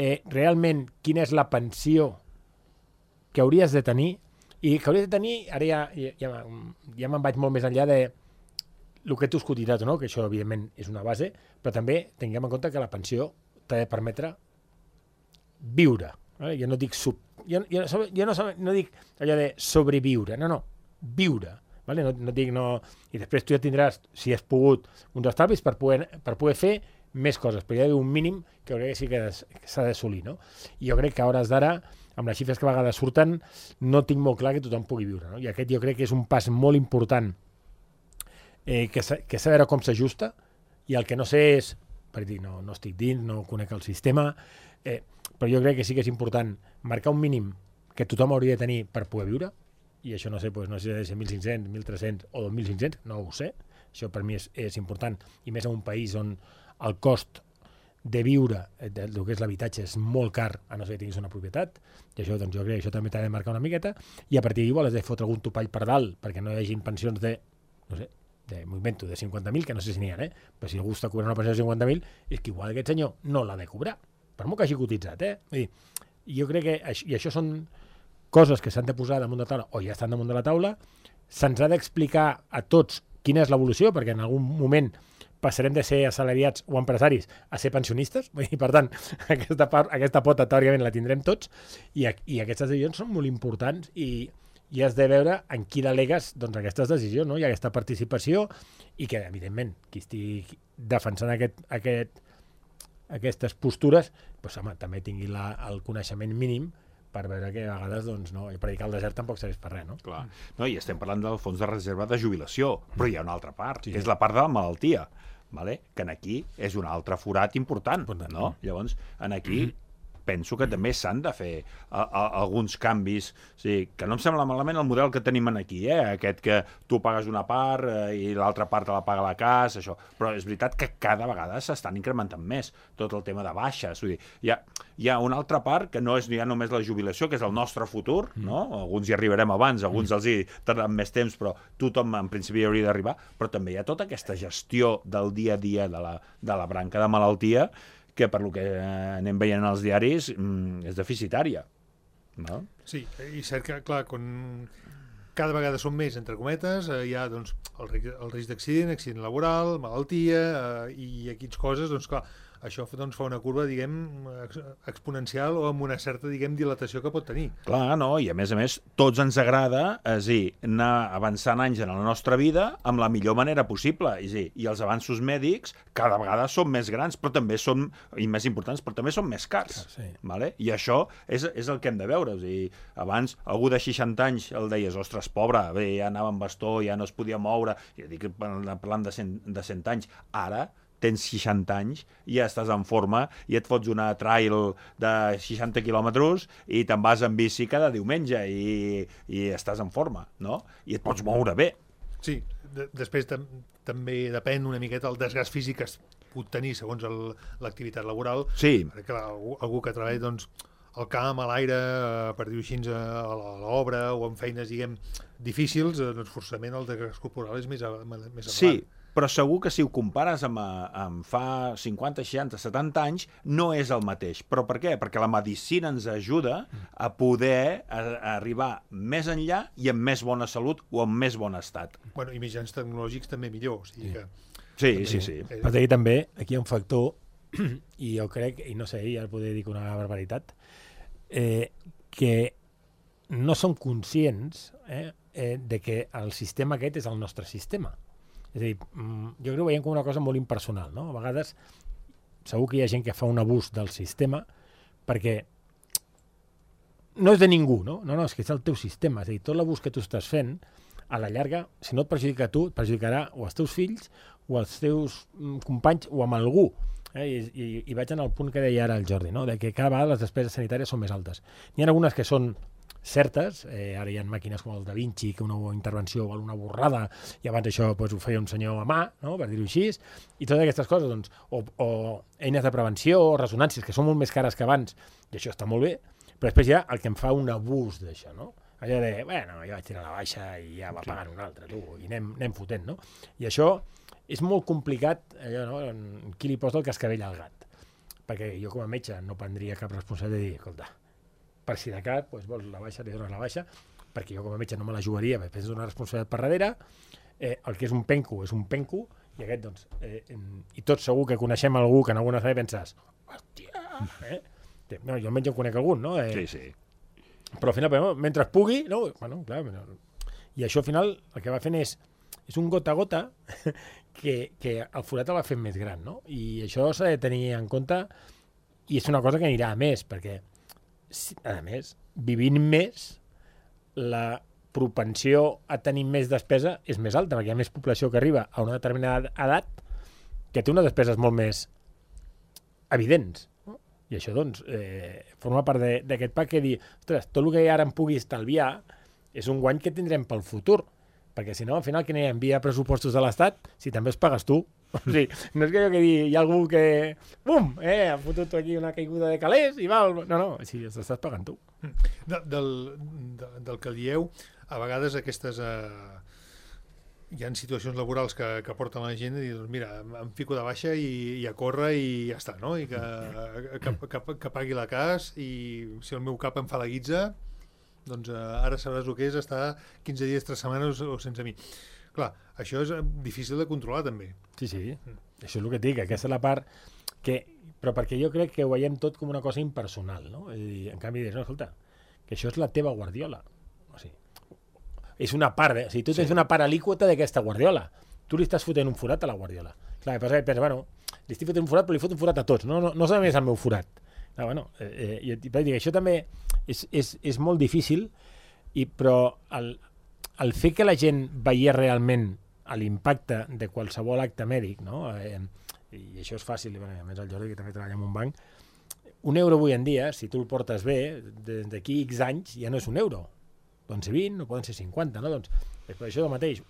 eh, realment quina és la pensió que hauries de tenir, i que hauries de tenir, ara ja, ja, ja, ja me'n vaig molt més enllà de el que tu has cotitzat o no, que això evidentment és una base, però també tinguem en compte que la pensió t'ha de permetre viure. Vale? Jo no dic sub, jo, jo, jo no, no dic allò de sobreviure, no, no, viure. Vale? No, no dic no... I després tu ja tindràs, si has pogut, uns estalvis per poder, per poder fer més coses, però hi ha d'haver un mínim que crec que sí que s'ha d'assolir, no? I jo crec que a hores d'ara, amb les xifres que a vegades surten, no tinc molt clar que tothom pugui viure, no? I aquest jo crec que és un pas molt important eh, que s'ha de veure com s'ajusta, i el que no sé és, per dir, no, no estic dins, no conec el sistema, eh, però jo crec que sí que és important marcar un mínim que tothom hauria de tenir per poder viure, i això no sé, doncs, no sé si ha de ser mil cinc-cents, mil tres-cents o dos mil cinc-cents, no ho sé, això per mi és, és important, i més en un país on el cost de viure, del que és l'habitatge, és molt car, a no ser que tinguis una propietat, i això, doncs, jo crec que això també t'ha de marcar una miqueta, i a partir d'ahir vols de fotre algun topall per dalt, perquè no hi hagi pensions de, no sé, de, m'ho invento, de cinquanta mil, que no sé si n'hi ha, eh? Però si algú està cobrant una pensió de cinquanta mil, és que igual aquest senyor no l'ha de cobrar, per molt que hagi cotitzat, eh? Vull dir, jo crec que, això, i això són coses que s'han de posar damunt de la taula, o ja estan damunt de la taula, se'ns ha d'explicar a tots quina és l'evolució, perquè en algun moment passarem de ser assalariats o empresaris a ser pensionistes, i per tant, aquesta, part, aquesta pota teòricament la tindrem tots, i, i aquestes decisions són molt importants i, i has de veure en qui delegues doncs, aquestes decisions, no? I aquesta participació, i que, evidentment, qui estigui defensant aquest, aquest, aquestes postures, doncs, home, també tingui la, el coneixement mínim per veure que a vegades, doncs, no, i predicar el desert tampoc serveix per res, no? Clar. No, i estem parlant del fons de reserva de jubilació, però hi ha una altra part, Sí. que és la part de la malaltia, vale? Que en aquí és un altre forat important, Important. no? Llavors, en aquí penso que també s'han de fer a, a, alguns canvis, o sigui, que no em sembla malament el model que tenim aquí, eh? Aquest que tu pagues una part eh, i l'altra part te la paga la casa, això, però és veritat que cada vegada s'estan incrementant més tot el tema de baixes, vull dir, hi ha, hi ha una altra part que no és ja només la jubilació, que és el nostre futur, no? Alguns hi arribarem abans, alguns els hi tardaran més temps, però tothom en principi hi hauria d'arribar, però també hi ha tota aquesta gestió del dia a dia de la, de la branca de malaltia que per lo que anem veient als diaris mmm, és deficitària. No? Sí, i cert que, clar, quan cada vegada són més, entre cometes, eh, hi ha doncs, el, ri- el risc d'accident, accident laboral, malaltia, eh, i aquestes coses, doncs clar, això doncs, fa una curva, diguem, ex exponencial o amb una certa, diguem, dilatació que pot tenir. Clar, no? I a més a més, tots ens agrada, és a dir, anar avançant anys en la nostra vida amb la millor manera possible. És a dir, i els avanços mèdics cada vegada són més grans, però també són, i més importants, però també són més cars. Sí. Vale? I això és, és el que hem de veure. És a dir, abans, algú de seixanta anys el deies, ostres, pobre, bé, ja anava amb bastó, ja no es podia moure, ja dic, parlant de cent, de cent anys, ara tens seixanta anys, ja estàs en forma i et fots una trail de seixanta quilòmetres i te'n vas en bici cada diumenge i, i estàs en forma, no? I et pots moure bé. Sí, de després tam també depèn una miqueta el desgast físic que es pot tenir segons el- l'activitat laboral. Sí, Perquè, clar, algú, algú que treballa doncs, al camp, a l'aire, eh, per dir-ho així, a a l'obra o en feines, diguem, difícils, eh, doncs forçament el desgast corporal és més, a, més sí, elevat. però segur que si ho compares amb, eh, amb fa cinquanta, seixanta, setanta anys, no és el mateix. Però per què? Perquè la medicina ens ajuda a poder a, a arribar més enllà i amb més bona salut o amb més bon estat. Bueno, i mitjans tecnològics també millor. O sigui Sí. que, Sí, sí, sí. eh, Però aquí també, aquí hi ha un factor, i jo crec, i no sé, ja poder dir que una barbaritat, eh, que no som conscients eh, eh, de que el sistema aquest és el nostre sistema. És a dir, mm, jo crec que ho veiem com una cosa molt impersonal, no? A vegades segur que hi ha gent que fa un abús del sistema perquè no és de ningú, no? No, no, és que és el teu sistema. És a dir, tot l'abús que tu estàs fent, a la llarga, si no et perjudica a tu, et perjudicarà o als teus fills o als teus mm, companys o amb algú. Eh? I, i, I vaig en el punt que deia ara el Jordi, no? De que cada vegada les despeses sanitàries són més altes. N'hi ha algunes que són certes, eh, ara hi ha màquines com el Da Vinci, que una intervenció val una borrada, i abans això doncs, ho feia un senyor a mà, no? Per dir-ho així, i totes aquestes coses, doncs, o, o eines de prevenció, o resonàncies, que són molt més cares que abans, i això està molt bé, però després hi ha el que em fa un abús d'això, no? Allò de, bueno, jo vaig tirar la baixa i ja va pagant un altre, tu, i anem, anem fotent, no? I això és molt complicat, allò, no? En qui li posa el cascavell al gat? Perquè jo com a metge no prendria cap responsabilitat de dir, escolta, per si de cap, doncs vols la baixa, li dones la baixa, perquè jo com a metge no me la jugaria, perquè és una responsabilitat per darrere, eh, el que és un penco és un penco, i aquest, doncs, eh, i tots segur que coneixem algú que en alguna vegada penses, hòstia, eh? No, jo almenys en conec algun, no? Eh, Sí, sí. Però al final, però, mentre pugui, no? Bueno, clar, i això al final el que va fent és, és un gota a gota que, que el forat el va fent més gran, no? I això s'ha de tenir en compte i és una cosa que anirà a més, perquè a més, vivint més, la propensió a tenir més despesa és més alta, perquè hi ha més població que arriba a una determinada edat que té unes despeses molt més evidents. No? I això, doncs, eh, forma part d'aquest pack que dir, ostres, tot el que ara em pugui estalviar és un guany que tindrem pel futur, perquè si no, al final, que n'hi envia pressupostos de l'Estat si també els pagues tu. O sigui, no és que jo que dir, hi ha algú que, bum, eh, ha fotut aquí una caiguda de calés i val. No, no, si els estàs pagant tu. De, del, de, del que dieu, a vegades aquestes eh, hi ha situacions laborals que, que porten la gent i dir, doncs mira, em fico de baixa i, i a córrer i ja està, no? I que, que, que, que pagui la cas i si el meu cap em fa la guitza, doncs eh, ara sabràs el que és estar quinze dies, tres setmanes o sense mi. Clar, això és difícil de controlar també. Sí, sí, mm. Això és el que et dic, aquesta és la part que... Però perquè jo crec que ho veiem tot com una cosa impersonal, no? I en canvi dius, no, escolta, que això és la teva Guardiola. O sigui, és una part, de, o sigui, tu tens sí. una part alíquota d'aquesta Guardiola. Tu li estàs fotent un forat a la Guardiola. Clar, que passa que pensa, bueno, li estic fotent un forat, però li fot un forat a tots. No, no, no només el meu forat. Clar, bueno, eh, eh, i, i això també és, és, és molt difícil, i, però el, el fer que la gent veiés realment l'impacte de qualsevol acte mèdic, no? Eh, i això és fàcil, i, a més el Jordi, que també treballa en un banc, un euro avui en dia, si tu el portes bé, d'aquí X anys ja no és un euro. Poden ser vint o poden ser cinquanta, no? Doncs, per això el mateix.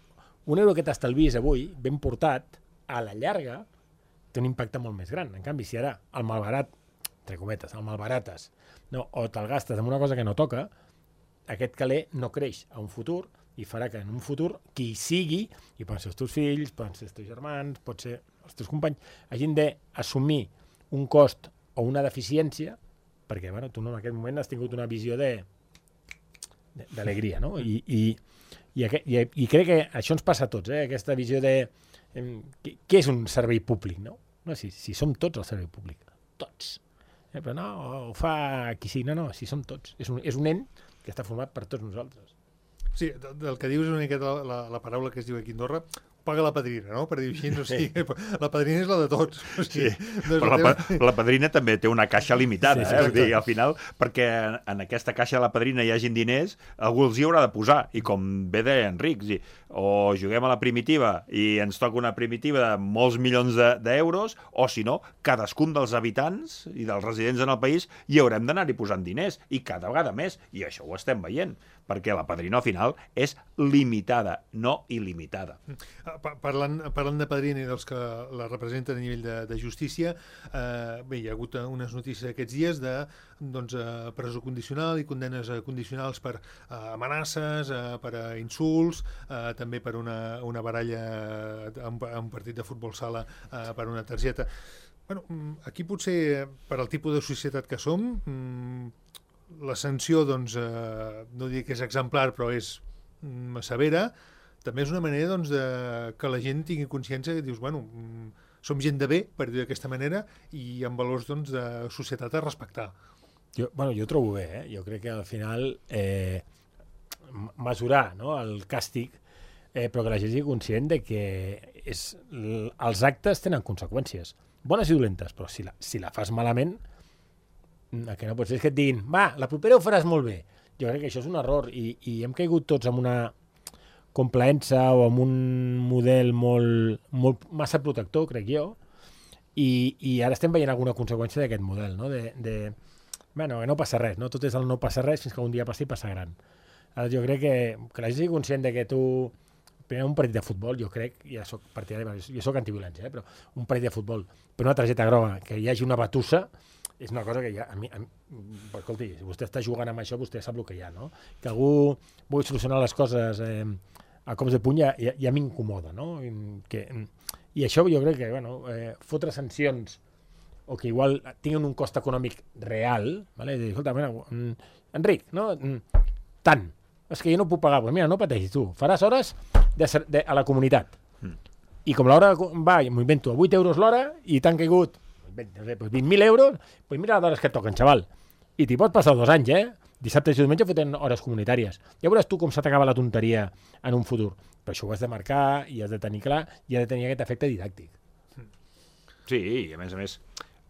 Un euro que t'estalvis avui, ben portat, a la llarga, té un impacte molt més gran. En canvi, si ara el malbarat, entre cometes, el malbarates, no, o te'l gastes en una cosa que no toca, aquest caler no creix a un futur i farà que en un futur qui sigui, i poden ser els teus fills, poden ser els teus germans, pot ser els teus companys, hagin d'assumir un cost o una deficiència, perquè bueno, tu no, en aquest moment has tingut una visió de d'alegria, no? I, i, i, i, i crec que això ens passa a tots, eh? Aquesta visió de eh, què és un servei públic, no? No si, si som tots el servei públic, tots. Eh, però no, ho fa qui sí, no, no, si som tots. És un, és un ent que està format per tots nosaltres. Sí, del que dius és una miqueta la, la, la paraula que es diu aquí a Andorra, paga la padrina, no? Per dir així, o sigui, sí. La padrina és la de tots. O sigui, sí. No però la, teva... la padrina també té una caixa limitada, sí, sí, eh? Dir, al final, perquè en aquesta caixa de la padrina hi hagin diners, algú els hi haurà de posar, i com bé deia Enric, sí, o juguem a la primitiva i ens toca una primitiva de molts milions d'euros, de, o si no, cadascun dels habitants i dels residents en el país hi haurem d'anar-hi posant diners, i cada vegada més, i això ho estem veient, perquè la padrina al final és limitada, no il·limitada. Parlant, parlant de padrina i dels que la representen a nivell de, de justícia, eh, bé, hi ha hagut unes notícies aquests dies de doncs, eh, presó condicional i condenes condicionals per eh, amenaces, eh, per a insults, eh, també per una, una baralla a un, a un partit de futbol sala, eh, per una targeta. Bueno, aquí potser, per al tipus de societat que som, la sanció, doncs, eh, no dic que és exemplar, però és mm, severa. També és una manera, doncs, de que la gent tingui consciència que dius, bueno, mm, som gent de bé, per dir d'aquesta manera, i amb valors, doncs, de societat a respectar. Jo, bueno, jo ho trobo bé, eh? Jo crec que al final eh, mesurar, no?, el càstig, eh, però que la gent sigui conscient de que és, els actes tenen conseqüències, bones i dolentes, però si la, si la fas malament, el que no pot ser és que et diguin, va, la propera ho faràs molt bé. Jo crec que això és un error, i, i hem caigut tots en una complaença o en un model molt, molt massa protector, crec jo, i, i ara estem veient alguna conseqüència d'aquest model, no? De, de, bueno, que no passa res, no? Tot és el no passa res fins que un dia passi i passa gran. Ara jo crec que, que la gent sigui conscient de que tu, primer un partit de futbol, jo crec, ja soc partidari, jo soc antiviolència, eh? Però un partit de futbol, per una targeta groga, que hi hagi una batussa, és una cosa que ja, a mi, a mi, escolti, si vostè està jugant amb això, vostè sap el que hi ha, no? Que algú vulgui solucionar les coses eh, a cops de puny ja, ja, ja m'incomoda, no? I, que, I això jo crec que, bueno, eh, fotre sancions o que igual tinguin un cost econòmic real, vale? Dir, escolta, bueno, Enric, no? Tant, és que jo no puc pagar, pues mira, no pateixis tu, faràs hores de, de, a la comunitat. Mm. I com l'hora va, m'ho invento, a vuit euros l'hora i t'han caigut vint mil euros, pues mira les hores que et toquen, xaval. I t'hi pots passar dos anys, eh? Dissabte i diumenge fotent hores comunitàries. Ja veuràs tu com se t'acaba la tonteria en un futur. Però això ho has de marcar i has de tenir clar i ha de tenir aquest efecte didàctic. Sí, i a més a més,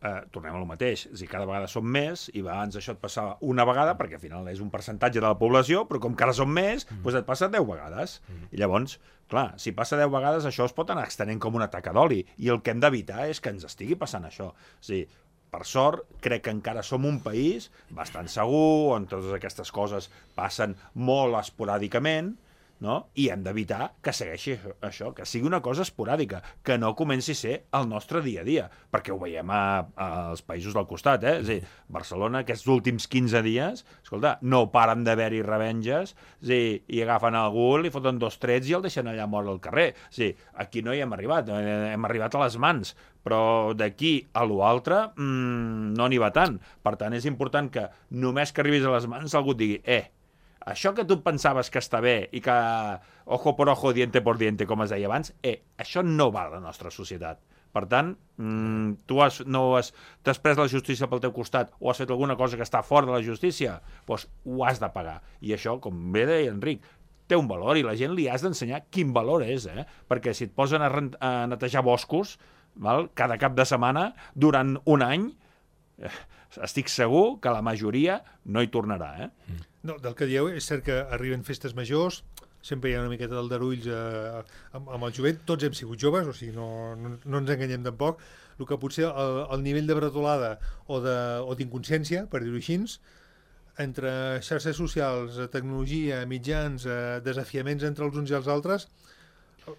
eh, tornem a lo mateix. És a dir, cada vegada som més i abans això et passava una vegada, perquè al final és un percentatge de la població, però com que ara som més, mm. doncs et passa deu vegades. Mm. I llavors, clar, si passa deu vegades, això es pot anar extenent com una taca d'oli. I el que hem d'evitar és que ens estigui passant això. És a dir, per sort, crec que encara som un país bastant segur, on totes aquestes coses passen molt esporàdicament, no? I hem d'evitar que segueixi això, que sigui una cosa esporàdica, que no comenci a ser el nostre dia a dia, perquè ho veiem a, als països del costat, eh? És a dir, Barcelona, aquests últims quinze dies, escolta, no paren d'haver-hi revenges, és a dir, i agafen algú, li foten dos trets i el deixen allà mort al carrer. És a dir, aquí no hi hem arribat, hem arribat a les mans, però d'aquí a l'altre mmm, no n'hi va tant. Per tant, és important que només que arribis a les mans algú et digui, eh, això que tu pensaves que està bé i que ojo por ojo, diente por diente, com es deia abans, eh, això no va a la nostra societat. Per tant, mmm, tu has, no has, t'has pres la justícia pel teu costat o has fet alguna cosa que està fora de la justícia, doncs ho has de pagar. I això, com bé deia Enric, té un valor i la gent li has d'ensenyar quin valor és, eh? Perquè si et posen a, rent, a netejar boscos, val, cada cap de setmana, durant un any, eh, estic segur que la majoria no hi tornarà, eh? No, del que dieu, és cert que arriben festes majors, sempre hi ha una miqueta d'aldarulls eh, amb, amb el jovent, tots hem sigut joves, o sigui, no, no, no ens enganyem tampoc, el que potser el, el nivell de bretolada o d'inconsciència, per dir-ho així, entre xarxes socials, tecnologia, mitjans, eh, desafiaments entre els uns i els altres,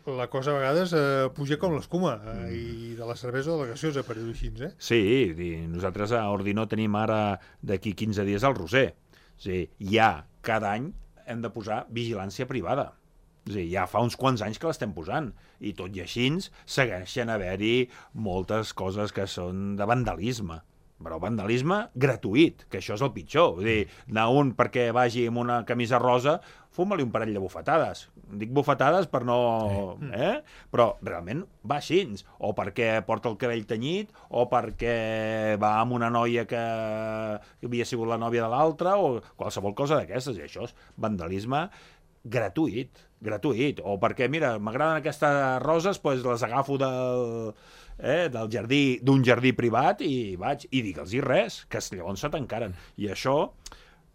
la cosa a vegades eh, puja com l'escuma, eh, i de la cervesa o de la gaseosa, per dir-ho així, eh? Sí, i nosaltres a Ordinó tenim ara d'aquí quinze dies el Roser. És a dir, ja cada any hem de posar vigilància privada. És a dir, ja fa uns quants anys que l'estem posant, i tot i així segueixen haver-hi moltes coses que són de vandalisme. Però vandalisme gratuït, que això és el pitjor. Vull dir, anar un perquè vagi amb una camisa rosa, fuma-li un parell de bufetades. Dic bufetades per no... Eh? Però realment va així. O perquè porta el cabell tenyit, o perquè va amb una noia que havia sigut la nòvia de l'altra, o qualsevol cosa d'aquestes. I això és vandalisme gratuït, gratuït. O perquè, mira, m'agraden aquestes roses, doncs les agafo del... Eh, del jardí, d'un jardí privat i vaig, i digue'ls-hi res, que llavors se tancaren. I això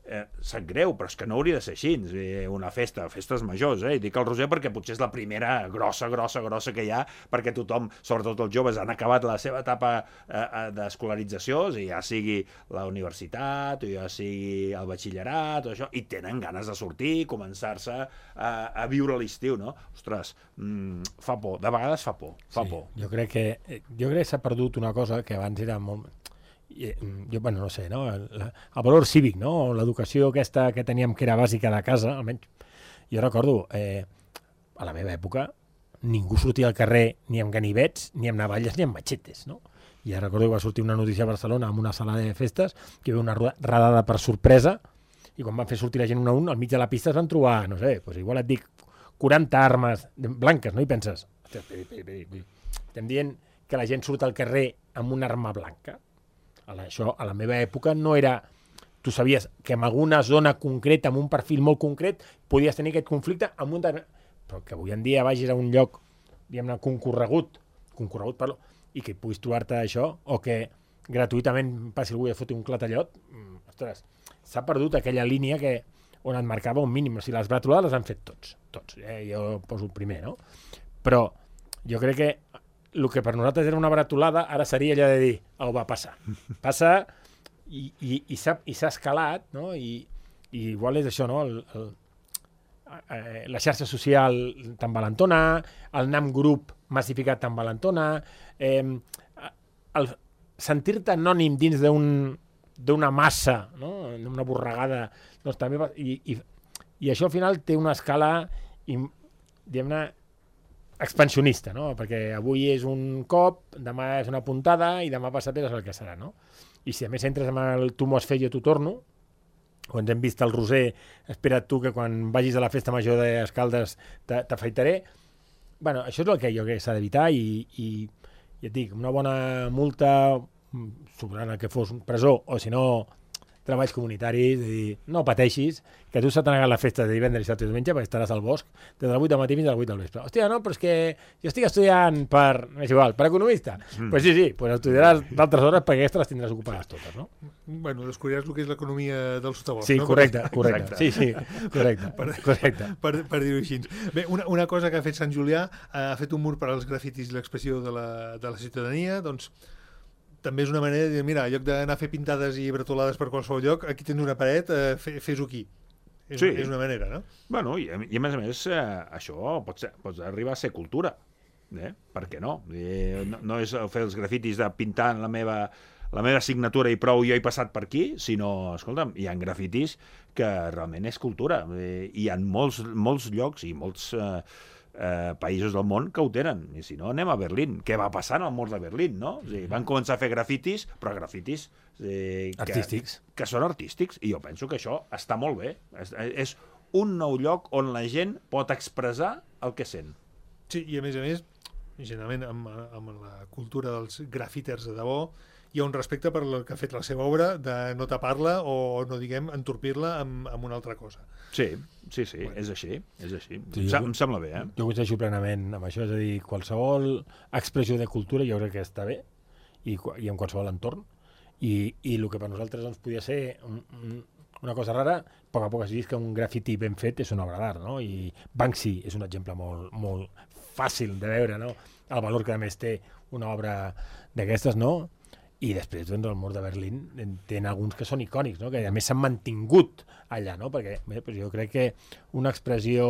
eh, sap greu, però és que no hauria de ser així, eh, una festa, festes majors, eh? I dic el Roser perquè potser és la primera grossa, grossa, grossa que hi ha, perquè tothom, sobretot els joves, han acabat la seva etapa eh, d'escolarització, o sigui, ja sigui la universitat, o ja sigui el batxillerat, o això, i tenen ganes de sortir, començar-se a, a viure l'estiu, no? Ostres, mm, fa por, de vegades fa por, fa sí, por. Jo crec que jo crec que s'ha perdut una cosa que abans era molt... Jo, bueno, no sé, no? El, el valor cívic, no? L'educació aquesta que teníem que era bàsica de casa, almenys. Jo recordo, eh, a la meva època, ningú sortia al carrer ni amb ganivets, ni amb navalles, ni amb matxetes, no? I ja recordo que va sortir una notícia a Barcelona amb una sala de festes que hi havia una radada per sorpresa i quan van fer sortir la gent un a un, al mig de la pista es van trobar, no sé, doncs igual et dic, quaranta armes blanques, no? I penses, estem dient que la gent surt al carrer amb una arma blanca. Això, a la meva època, no era... Tu sabies que en alguna zona concreta, amb un perfil molt concret, podies tenir aquest conflicte amb un... Però que avui en dia vagis a un lloc, diguem-ne, concorregut, concorregut, parlo, i que puguis trobar-te això, o que gratuïtament passi algú i et foti un clatallot, ostres, s'ha perdut aquella línia que on et marcava un mínim. O sigui, les bretolades les han fet tots, tots. Eh? Jo poso el primer, no? Però jo crec que el que per nosaltres era una bretolada ara seria allò de dir, oh, va, passa. Passa i, i, i s'ha escalat, no? I, i igual és això, no? El, el, eh, la xarxa social t'envalentona, el NAM Group massificat t'envalentona, eh, el sentir-te anònim dins d'un d'una massa, no? Una borregada, doncs també va, i, i, i això al final té una escala, diguem-ne, expansionista, no? Perquè avui és un cop, demà és una puntada i demà passat és el que serà, no? I si a més entres amb el tu m'ho has fet, jo t'ho torno, o ens hem vist el Roser, espera't tu que quan vagis a la festa major d'Escaldes t'afaitaré. Bueno, això és el que jo crec que s'ha d'evitar i, i ja et dic, una bona multa, sobrant el que fos presó, o si no treballs comunitaris, de dir, no pateixis, que tu s'ha negat la festa de divendres, dissabte i diumenge perquè estaràs al bosc des de les vuit del matí fins a les vuit del vespre. Hòstia, no, però és que jo estic estudiant per, és igual, per economista. Mm. Pues sí, sí, pues estudiaràs d'altres hores perquè aquestes les tindràs ocupades totes, no? Bueno, descobriràs el que és l'economia del sotabosc, sí, no? Correcte, correcte. Sí, sí, correcte. per, correcte. Per, per dir-ho així. Bé, una, una cosa que ha fet Sant Julià, ha fet un mur per als grafitis i l'expressió de la, de la ciutadania, doncs també és una manera de dir, mira, en lloc d'anar a fer pintades i bretolades per qualsevol lloc, aquí tens una paret, eh, fes-ho aquí. És, Sí. és una manera, no? Bueno, i, i a més a més, eh, això pot, ser, pot arribar a ser cultura. Eh? Per què no? Eh, no? No és fer els grafitis de pintar la meva, la meva signatura i prou, jo he passat per aquí, sinó, escolta'm, hi ha grafitis que realment és cultura. Eh, hi ha molts, molts llocs i molts eh, eh, països del món que ho tenen. I si no, anem a Berlín. Què va passar en el mur de Berlín, no? O sigui, van començar a fer grafitis, però grafitis eh, que, Artístics. que són artístics, i jo penso que això està molt bé. És, és un nou lloc on la gent pot expressar el que sent. Sí, i a més a més, generalment amb, amb la cultura dels grafiters de debò, hi ha un respecte per el que ha fet la seva obra, de no tapar-la o, no diguem, entorpir-la amb, amb una altra cosa. Sí, sí, sí, bueno. és així, és així. Sí, em, jo, em sembla bé, eh? Jo coincideixo plenament amb això, és a dir, qualsevol expressió de cultura jo crec que està bé, i, i en qualsevol entorn, i, i el que per nosaltres doncs, podia ser un, un, una cosa rara, a poc a poc has vist que un grafiti ben fet és una obra d'art, no? I Banksy és un exemple molt, molt fàcil de veure, no? El valor que a més té una obra d'aquestes, no? I després, doncs, el mur de Berlín tenen alguns que són icònics, no? Que a més s'han mantingut allà, no? Perquè bé, doncs jo crec que una expressió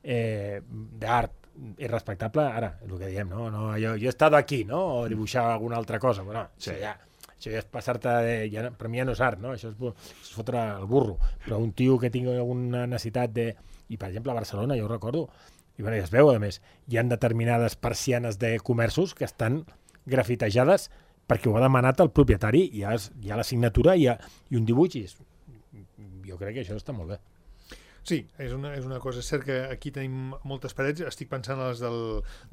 eh, d'art és respectable, ara, és el que diem, no? no jo, jo he estat aquí, no? O dibuixar alguna altra cosa, però no, sí. ja, això ja és passar-te, de, ja, per mi ja no és art, no? Això és, és fotre el burro, però un tio que tingui alguna necessitat de... I, per exemple, a Barcelona, jo ho recordo, i bueno, ja es veu, a més, hi ha determinades persianes de comerços que estan grafitejades perquè ho ha demanat el propietari, hi ha, hi ha la signatura i, ha, i un dibuix, i és, jo crec que això està molt bé. Sí, és una, és una cosa. És cert que aquí tenim moltes parets, estic pensant a les del,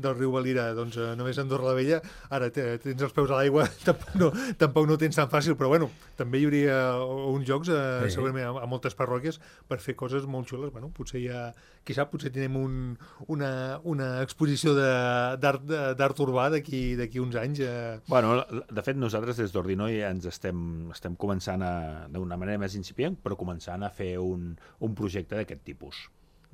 del riu Valira, doncs eh, només a Andorra la Vella, ara tens els peus a l'aigua, tampoc, no, tampoc no ho tens tan fàcil, però bueno, també hi hauria uns jocs, eh, sí. segurament a, a moltes parròquies, per fer coses molt xules. Bueno, potser ja, qui sap, potser tenim un, una, una exposició d'art urbà d'aquí d'aquí uns anys. Eh. Bueno, de fet, nosaltres des d'Ordinoi ens estem, estem començant d'una manera més incipient, però començant a fer un, un projecte d'aquest tipus.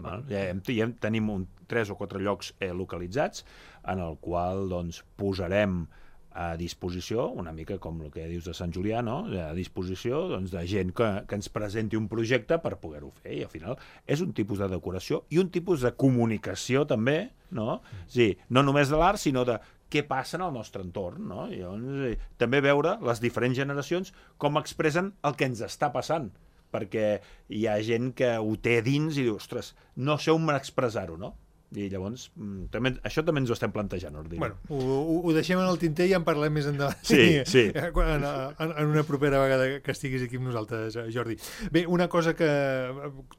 Val? Ja, ja tenim un, tres o quatre llocs eh, localitzats en el qual doncs, posarem a disposició, una mica com el que dius de Sant Julià, no? A disposició doncs, de gent que, que ens presenti un projecte per poder-ho fer, i al final és un tipus de decoració i un tipus de comunicació també, no? Sí, no només de l'art, sinó de què passa en el nostre entorn, no? I llavors, eh, també veure les diferents generacions com expressen el que ens està passant, perquè hi ha gent que ho té dins i diu, ostres, no sé on expressar-ho, no? I llavors, també, això també ens ho estem plantejant, Ordino. Bueno, ho, ho deixem en el tinter i en parlem més endavant. Sí, sí. En, en, en una propera vegada que estiguis aquí amb nosaltres, Jordi. Bé, una cosa que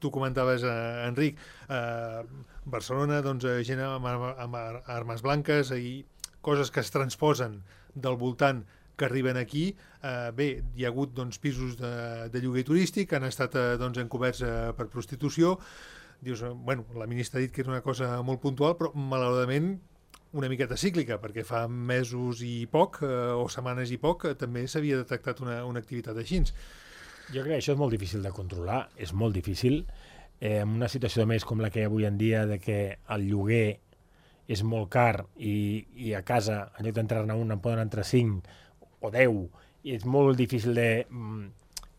tu comentaves, eh, Enric, eh, Barcelona, doncs, gent amb, amb armes blanques i coses que es transposen del voltant que arriben aquí. Eh, bé, hi ha hagut doncs, pisos de, de lloguer turístic que han estat eh, doncs, encoberts eh, per prostitució. Dius, bueno, la ministra ha dit que és una cosa molt puntual, però malauradament una miqueta cíclica, perquè fa mesos i poc, eh, o setmanes i poc, eh, també s'havia detectat una, una activitat així. Jo crec que això és molt difícil de controlar, és molt difícil. Eh, en una situació més com la que hi ha avui en dia, de que el lloguer és molt car i, i a casa, en lloc d'entrar-ne un, en poden entrar cinc o deu, i és molt difícil de mm,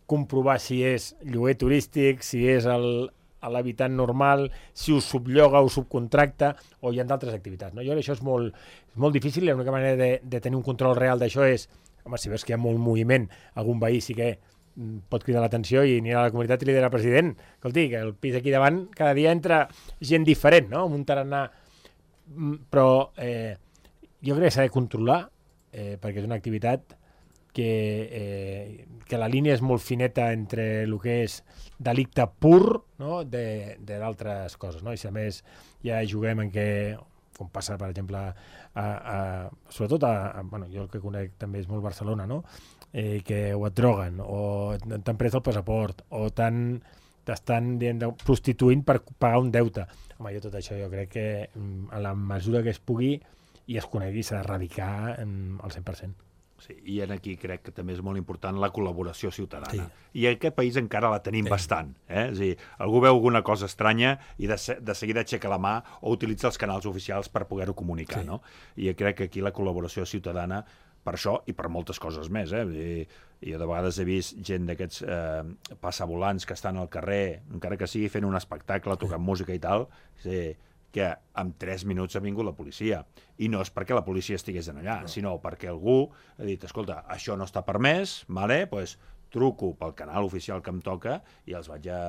comprovar si és lloguer turístic, si és el l'habitant normal, si ho sublloga o subcontracta, o hi ha d'altres activitats. No? Jo crec que això és molt, és molt difícil, i l'única manera de, de tenir un control real d'això és, home, si veus que hi ha molt moviment, algun veí sí que mm, pot cridar l'atenció i anirà a la comunitat i li dirà al president, escolti, que el pis aquí davant cada dia entra gent diferent, no? Amb un tarannà. Però eh, jo crec que s'ha de controlar, eh, perquè és una activitat que, eh, que la línia és molt fineta entre el que és delicte pur, no? de, de d'altres coses, no? I si a més ja juguem en què, com passa per exemple a, a, sobretot a, a, bueno, jo el que conec també és molt Barcelona, no? Eh, que o et droguen o t'han pres el passaport o t'han t'estan prostituint per pagar un deute. Home, jo tot això jo crec que a la mesura que es pugui i es conegui s'ha d'erradicar al cent per cent. Sí, i aquí crec que també és molt important la col·laboració ciutadana. Sí. I en aquest país encara la tenim sí. bastant. Eh? És a dir, algú veu alguna cosa estranya i de, de seguida aixeca la mà o utilitza els canals oficials per poder-ho comunicar. Sí. No? I crec que aquí la col·laboració ciutadana per això i per moltes coses més, eh? I jo de vegades he vist gent d'aquests eh, passavolants que estan al carrer, encara que sigui fent un espectacle, tocant música i tal, sí, que en tres minuts ha vingut la policia. I no és perquè la policia estigués allà, no. sinó perquè algú ha dit, escolta, això no està permès, vale? Pues truco pel canal oficial que em toca i els vaig a...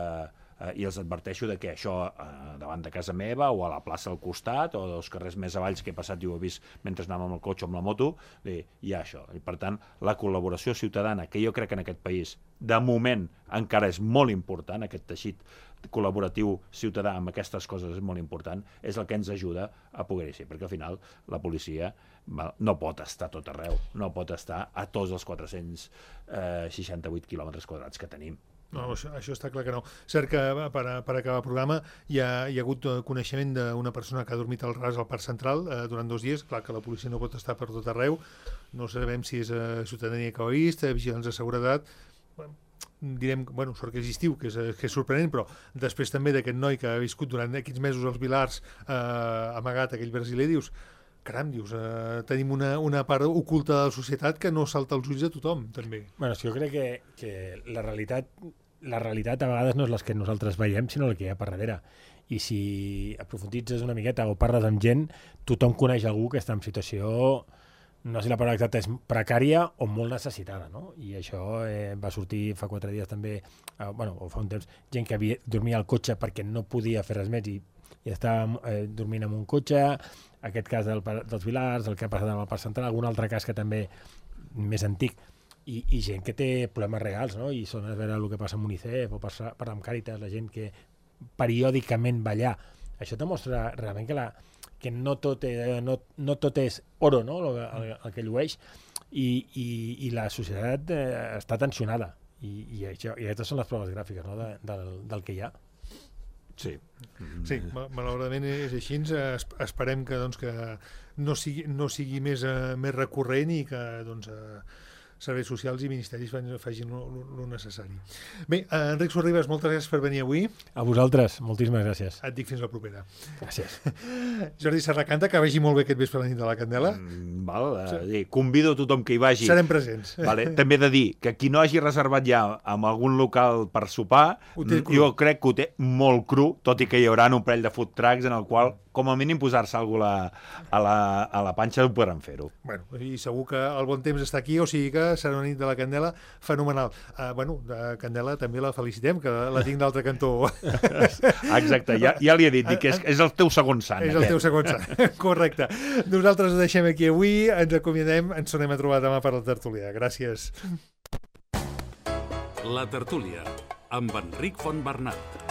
Eh, i els adverteixo de que això eh, davant de casa meva o a la plaça al costat o dels carrers més avalls que he passat i ho he vist mentre anàvem amb el cotxe o amb la moto, eh, hi ha això. I per tant, la col·laboració ciutadana, que jo crec que en aquest país, de moment, encara és molt important, aquest teixit col·laboratiu ciutadà amb aquestes coses és molt important, és el que ens ajuda a poder-hi ser, perquè al final la policia no pot estar a tot arreu, no pot estar a tots els quatre-cents seixanta-vuit quilòmetres quadrats que tenim. No, això, això està clar que no. Cert que per, per acabar el programa hi ha, hi ha hagut coneixement d'una persona que ha dormit al ras al Parc Central eh, durant dos dies. Clar que la policia no pot estar per tot arreu. No sabem si és eh, ciutadania que ho ha vist, eh, vigilants de seguretat. Bueno, direm, bueno, sort que és estiu, que és, que és sorprenent, però després també d'aquest noi que ha viscut durant aquests mesos als Vilars eh, amagat, aquell brasiler, dius, caram, dius, eh, tenim una, una part oculta de la societat que no salta als ulls de tothom, també. Bueno, jo crec que, que la realitat la realitat a vegades no és la que nosaltres veiem, sinó el que hi ha per darrere. I si aprofunditzes una miqueta o parles amb gent, tothom coneix algú que està en situació, no sé si la paraula exacta és precària o molt necessitada, no? I això eh, va sortir fa quatre dies també, eh, bueno, o fa un temps, gent que havia, dormia al cotxe perquè no podia fer res més i, i estava eh, dormint en un cotxe, aquest cas del, dels Vilars, el que ha passat amb el Parc Central, algun altre cas que també més antic, i, i gent que té problemes reals, no? I són a veure el que passa amb UNICEF o parlar amb Càritas, la gent que periòdicament va allà. Això demostra realment que, la, que no, tot, eh, no, no tot és oro, no? el, el, el que llueix, i, i, i la societat eh, està tensionada. I, i, això, i aquestes són les proves gràfiques, no? de, del, del que hi ha. Sí. Sí, malauradament és així. Esperem que, doncs, que no sigui, no sigui més, uh, més recurrent i que doncs, uh, serveis socials i ministeris facin el necessari. Bé, uh, Enric Sorribas, moltes gràcies per venir avui. A vosaltres, moltíssimes gràcies. Et dic fins la propera. Gràcies. Jordi Serracanta, que vagi molt bé aquest vespre a la nit de la Candela. Mm, val, uh, sí. Convido a tothom que hi vagi. Serem presents. Vale. També he de dir que qui no hagi reservat ja amb algun local per sopar, jo crec que ho té molt cru, tot i que hi haurà un parell de food trucks en el qual com a mínim posar-se alguna cosa a la, a la panxa ho podran fer-ho. Bueno, i segur que el bon temps està aquí, o sigui que serà una nit de la Candela fenomenal. Uh, bueno, de Candela també la felicitem, que la tinc d'altre cantó. Exacte, ja, ja li he dit, que és, és el teu segon sant. És el aquest. teu segon sant, correcte. Nosaltres ho deixem aquí avui, ens acomiadem, ens tornem a trobar demà per la tertúlia. Gràcies. La tertúlia, amb Enric Fontbernat.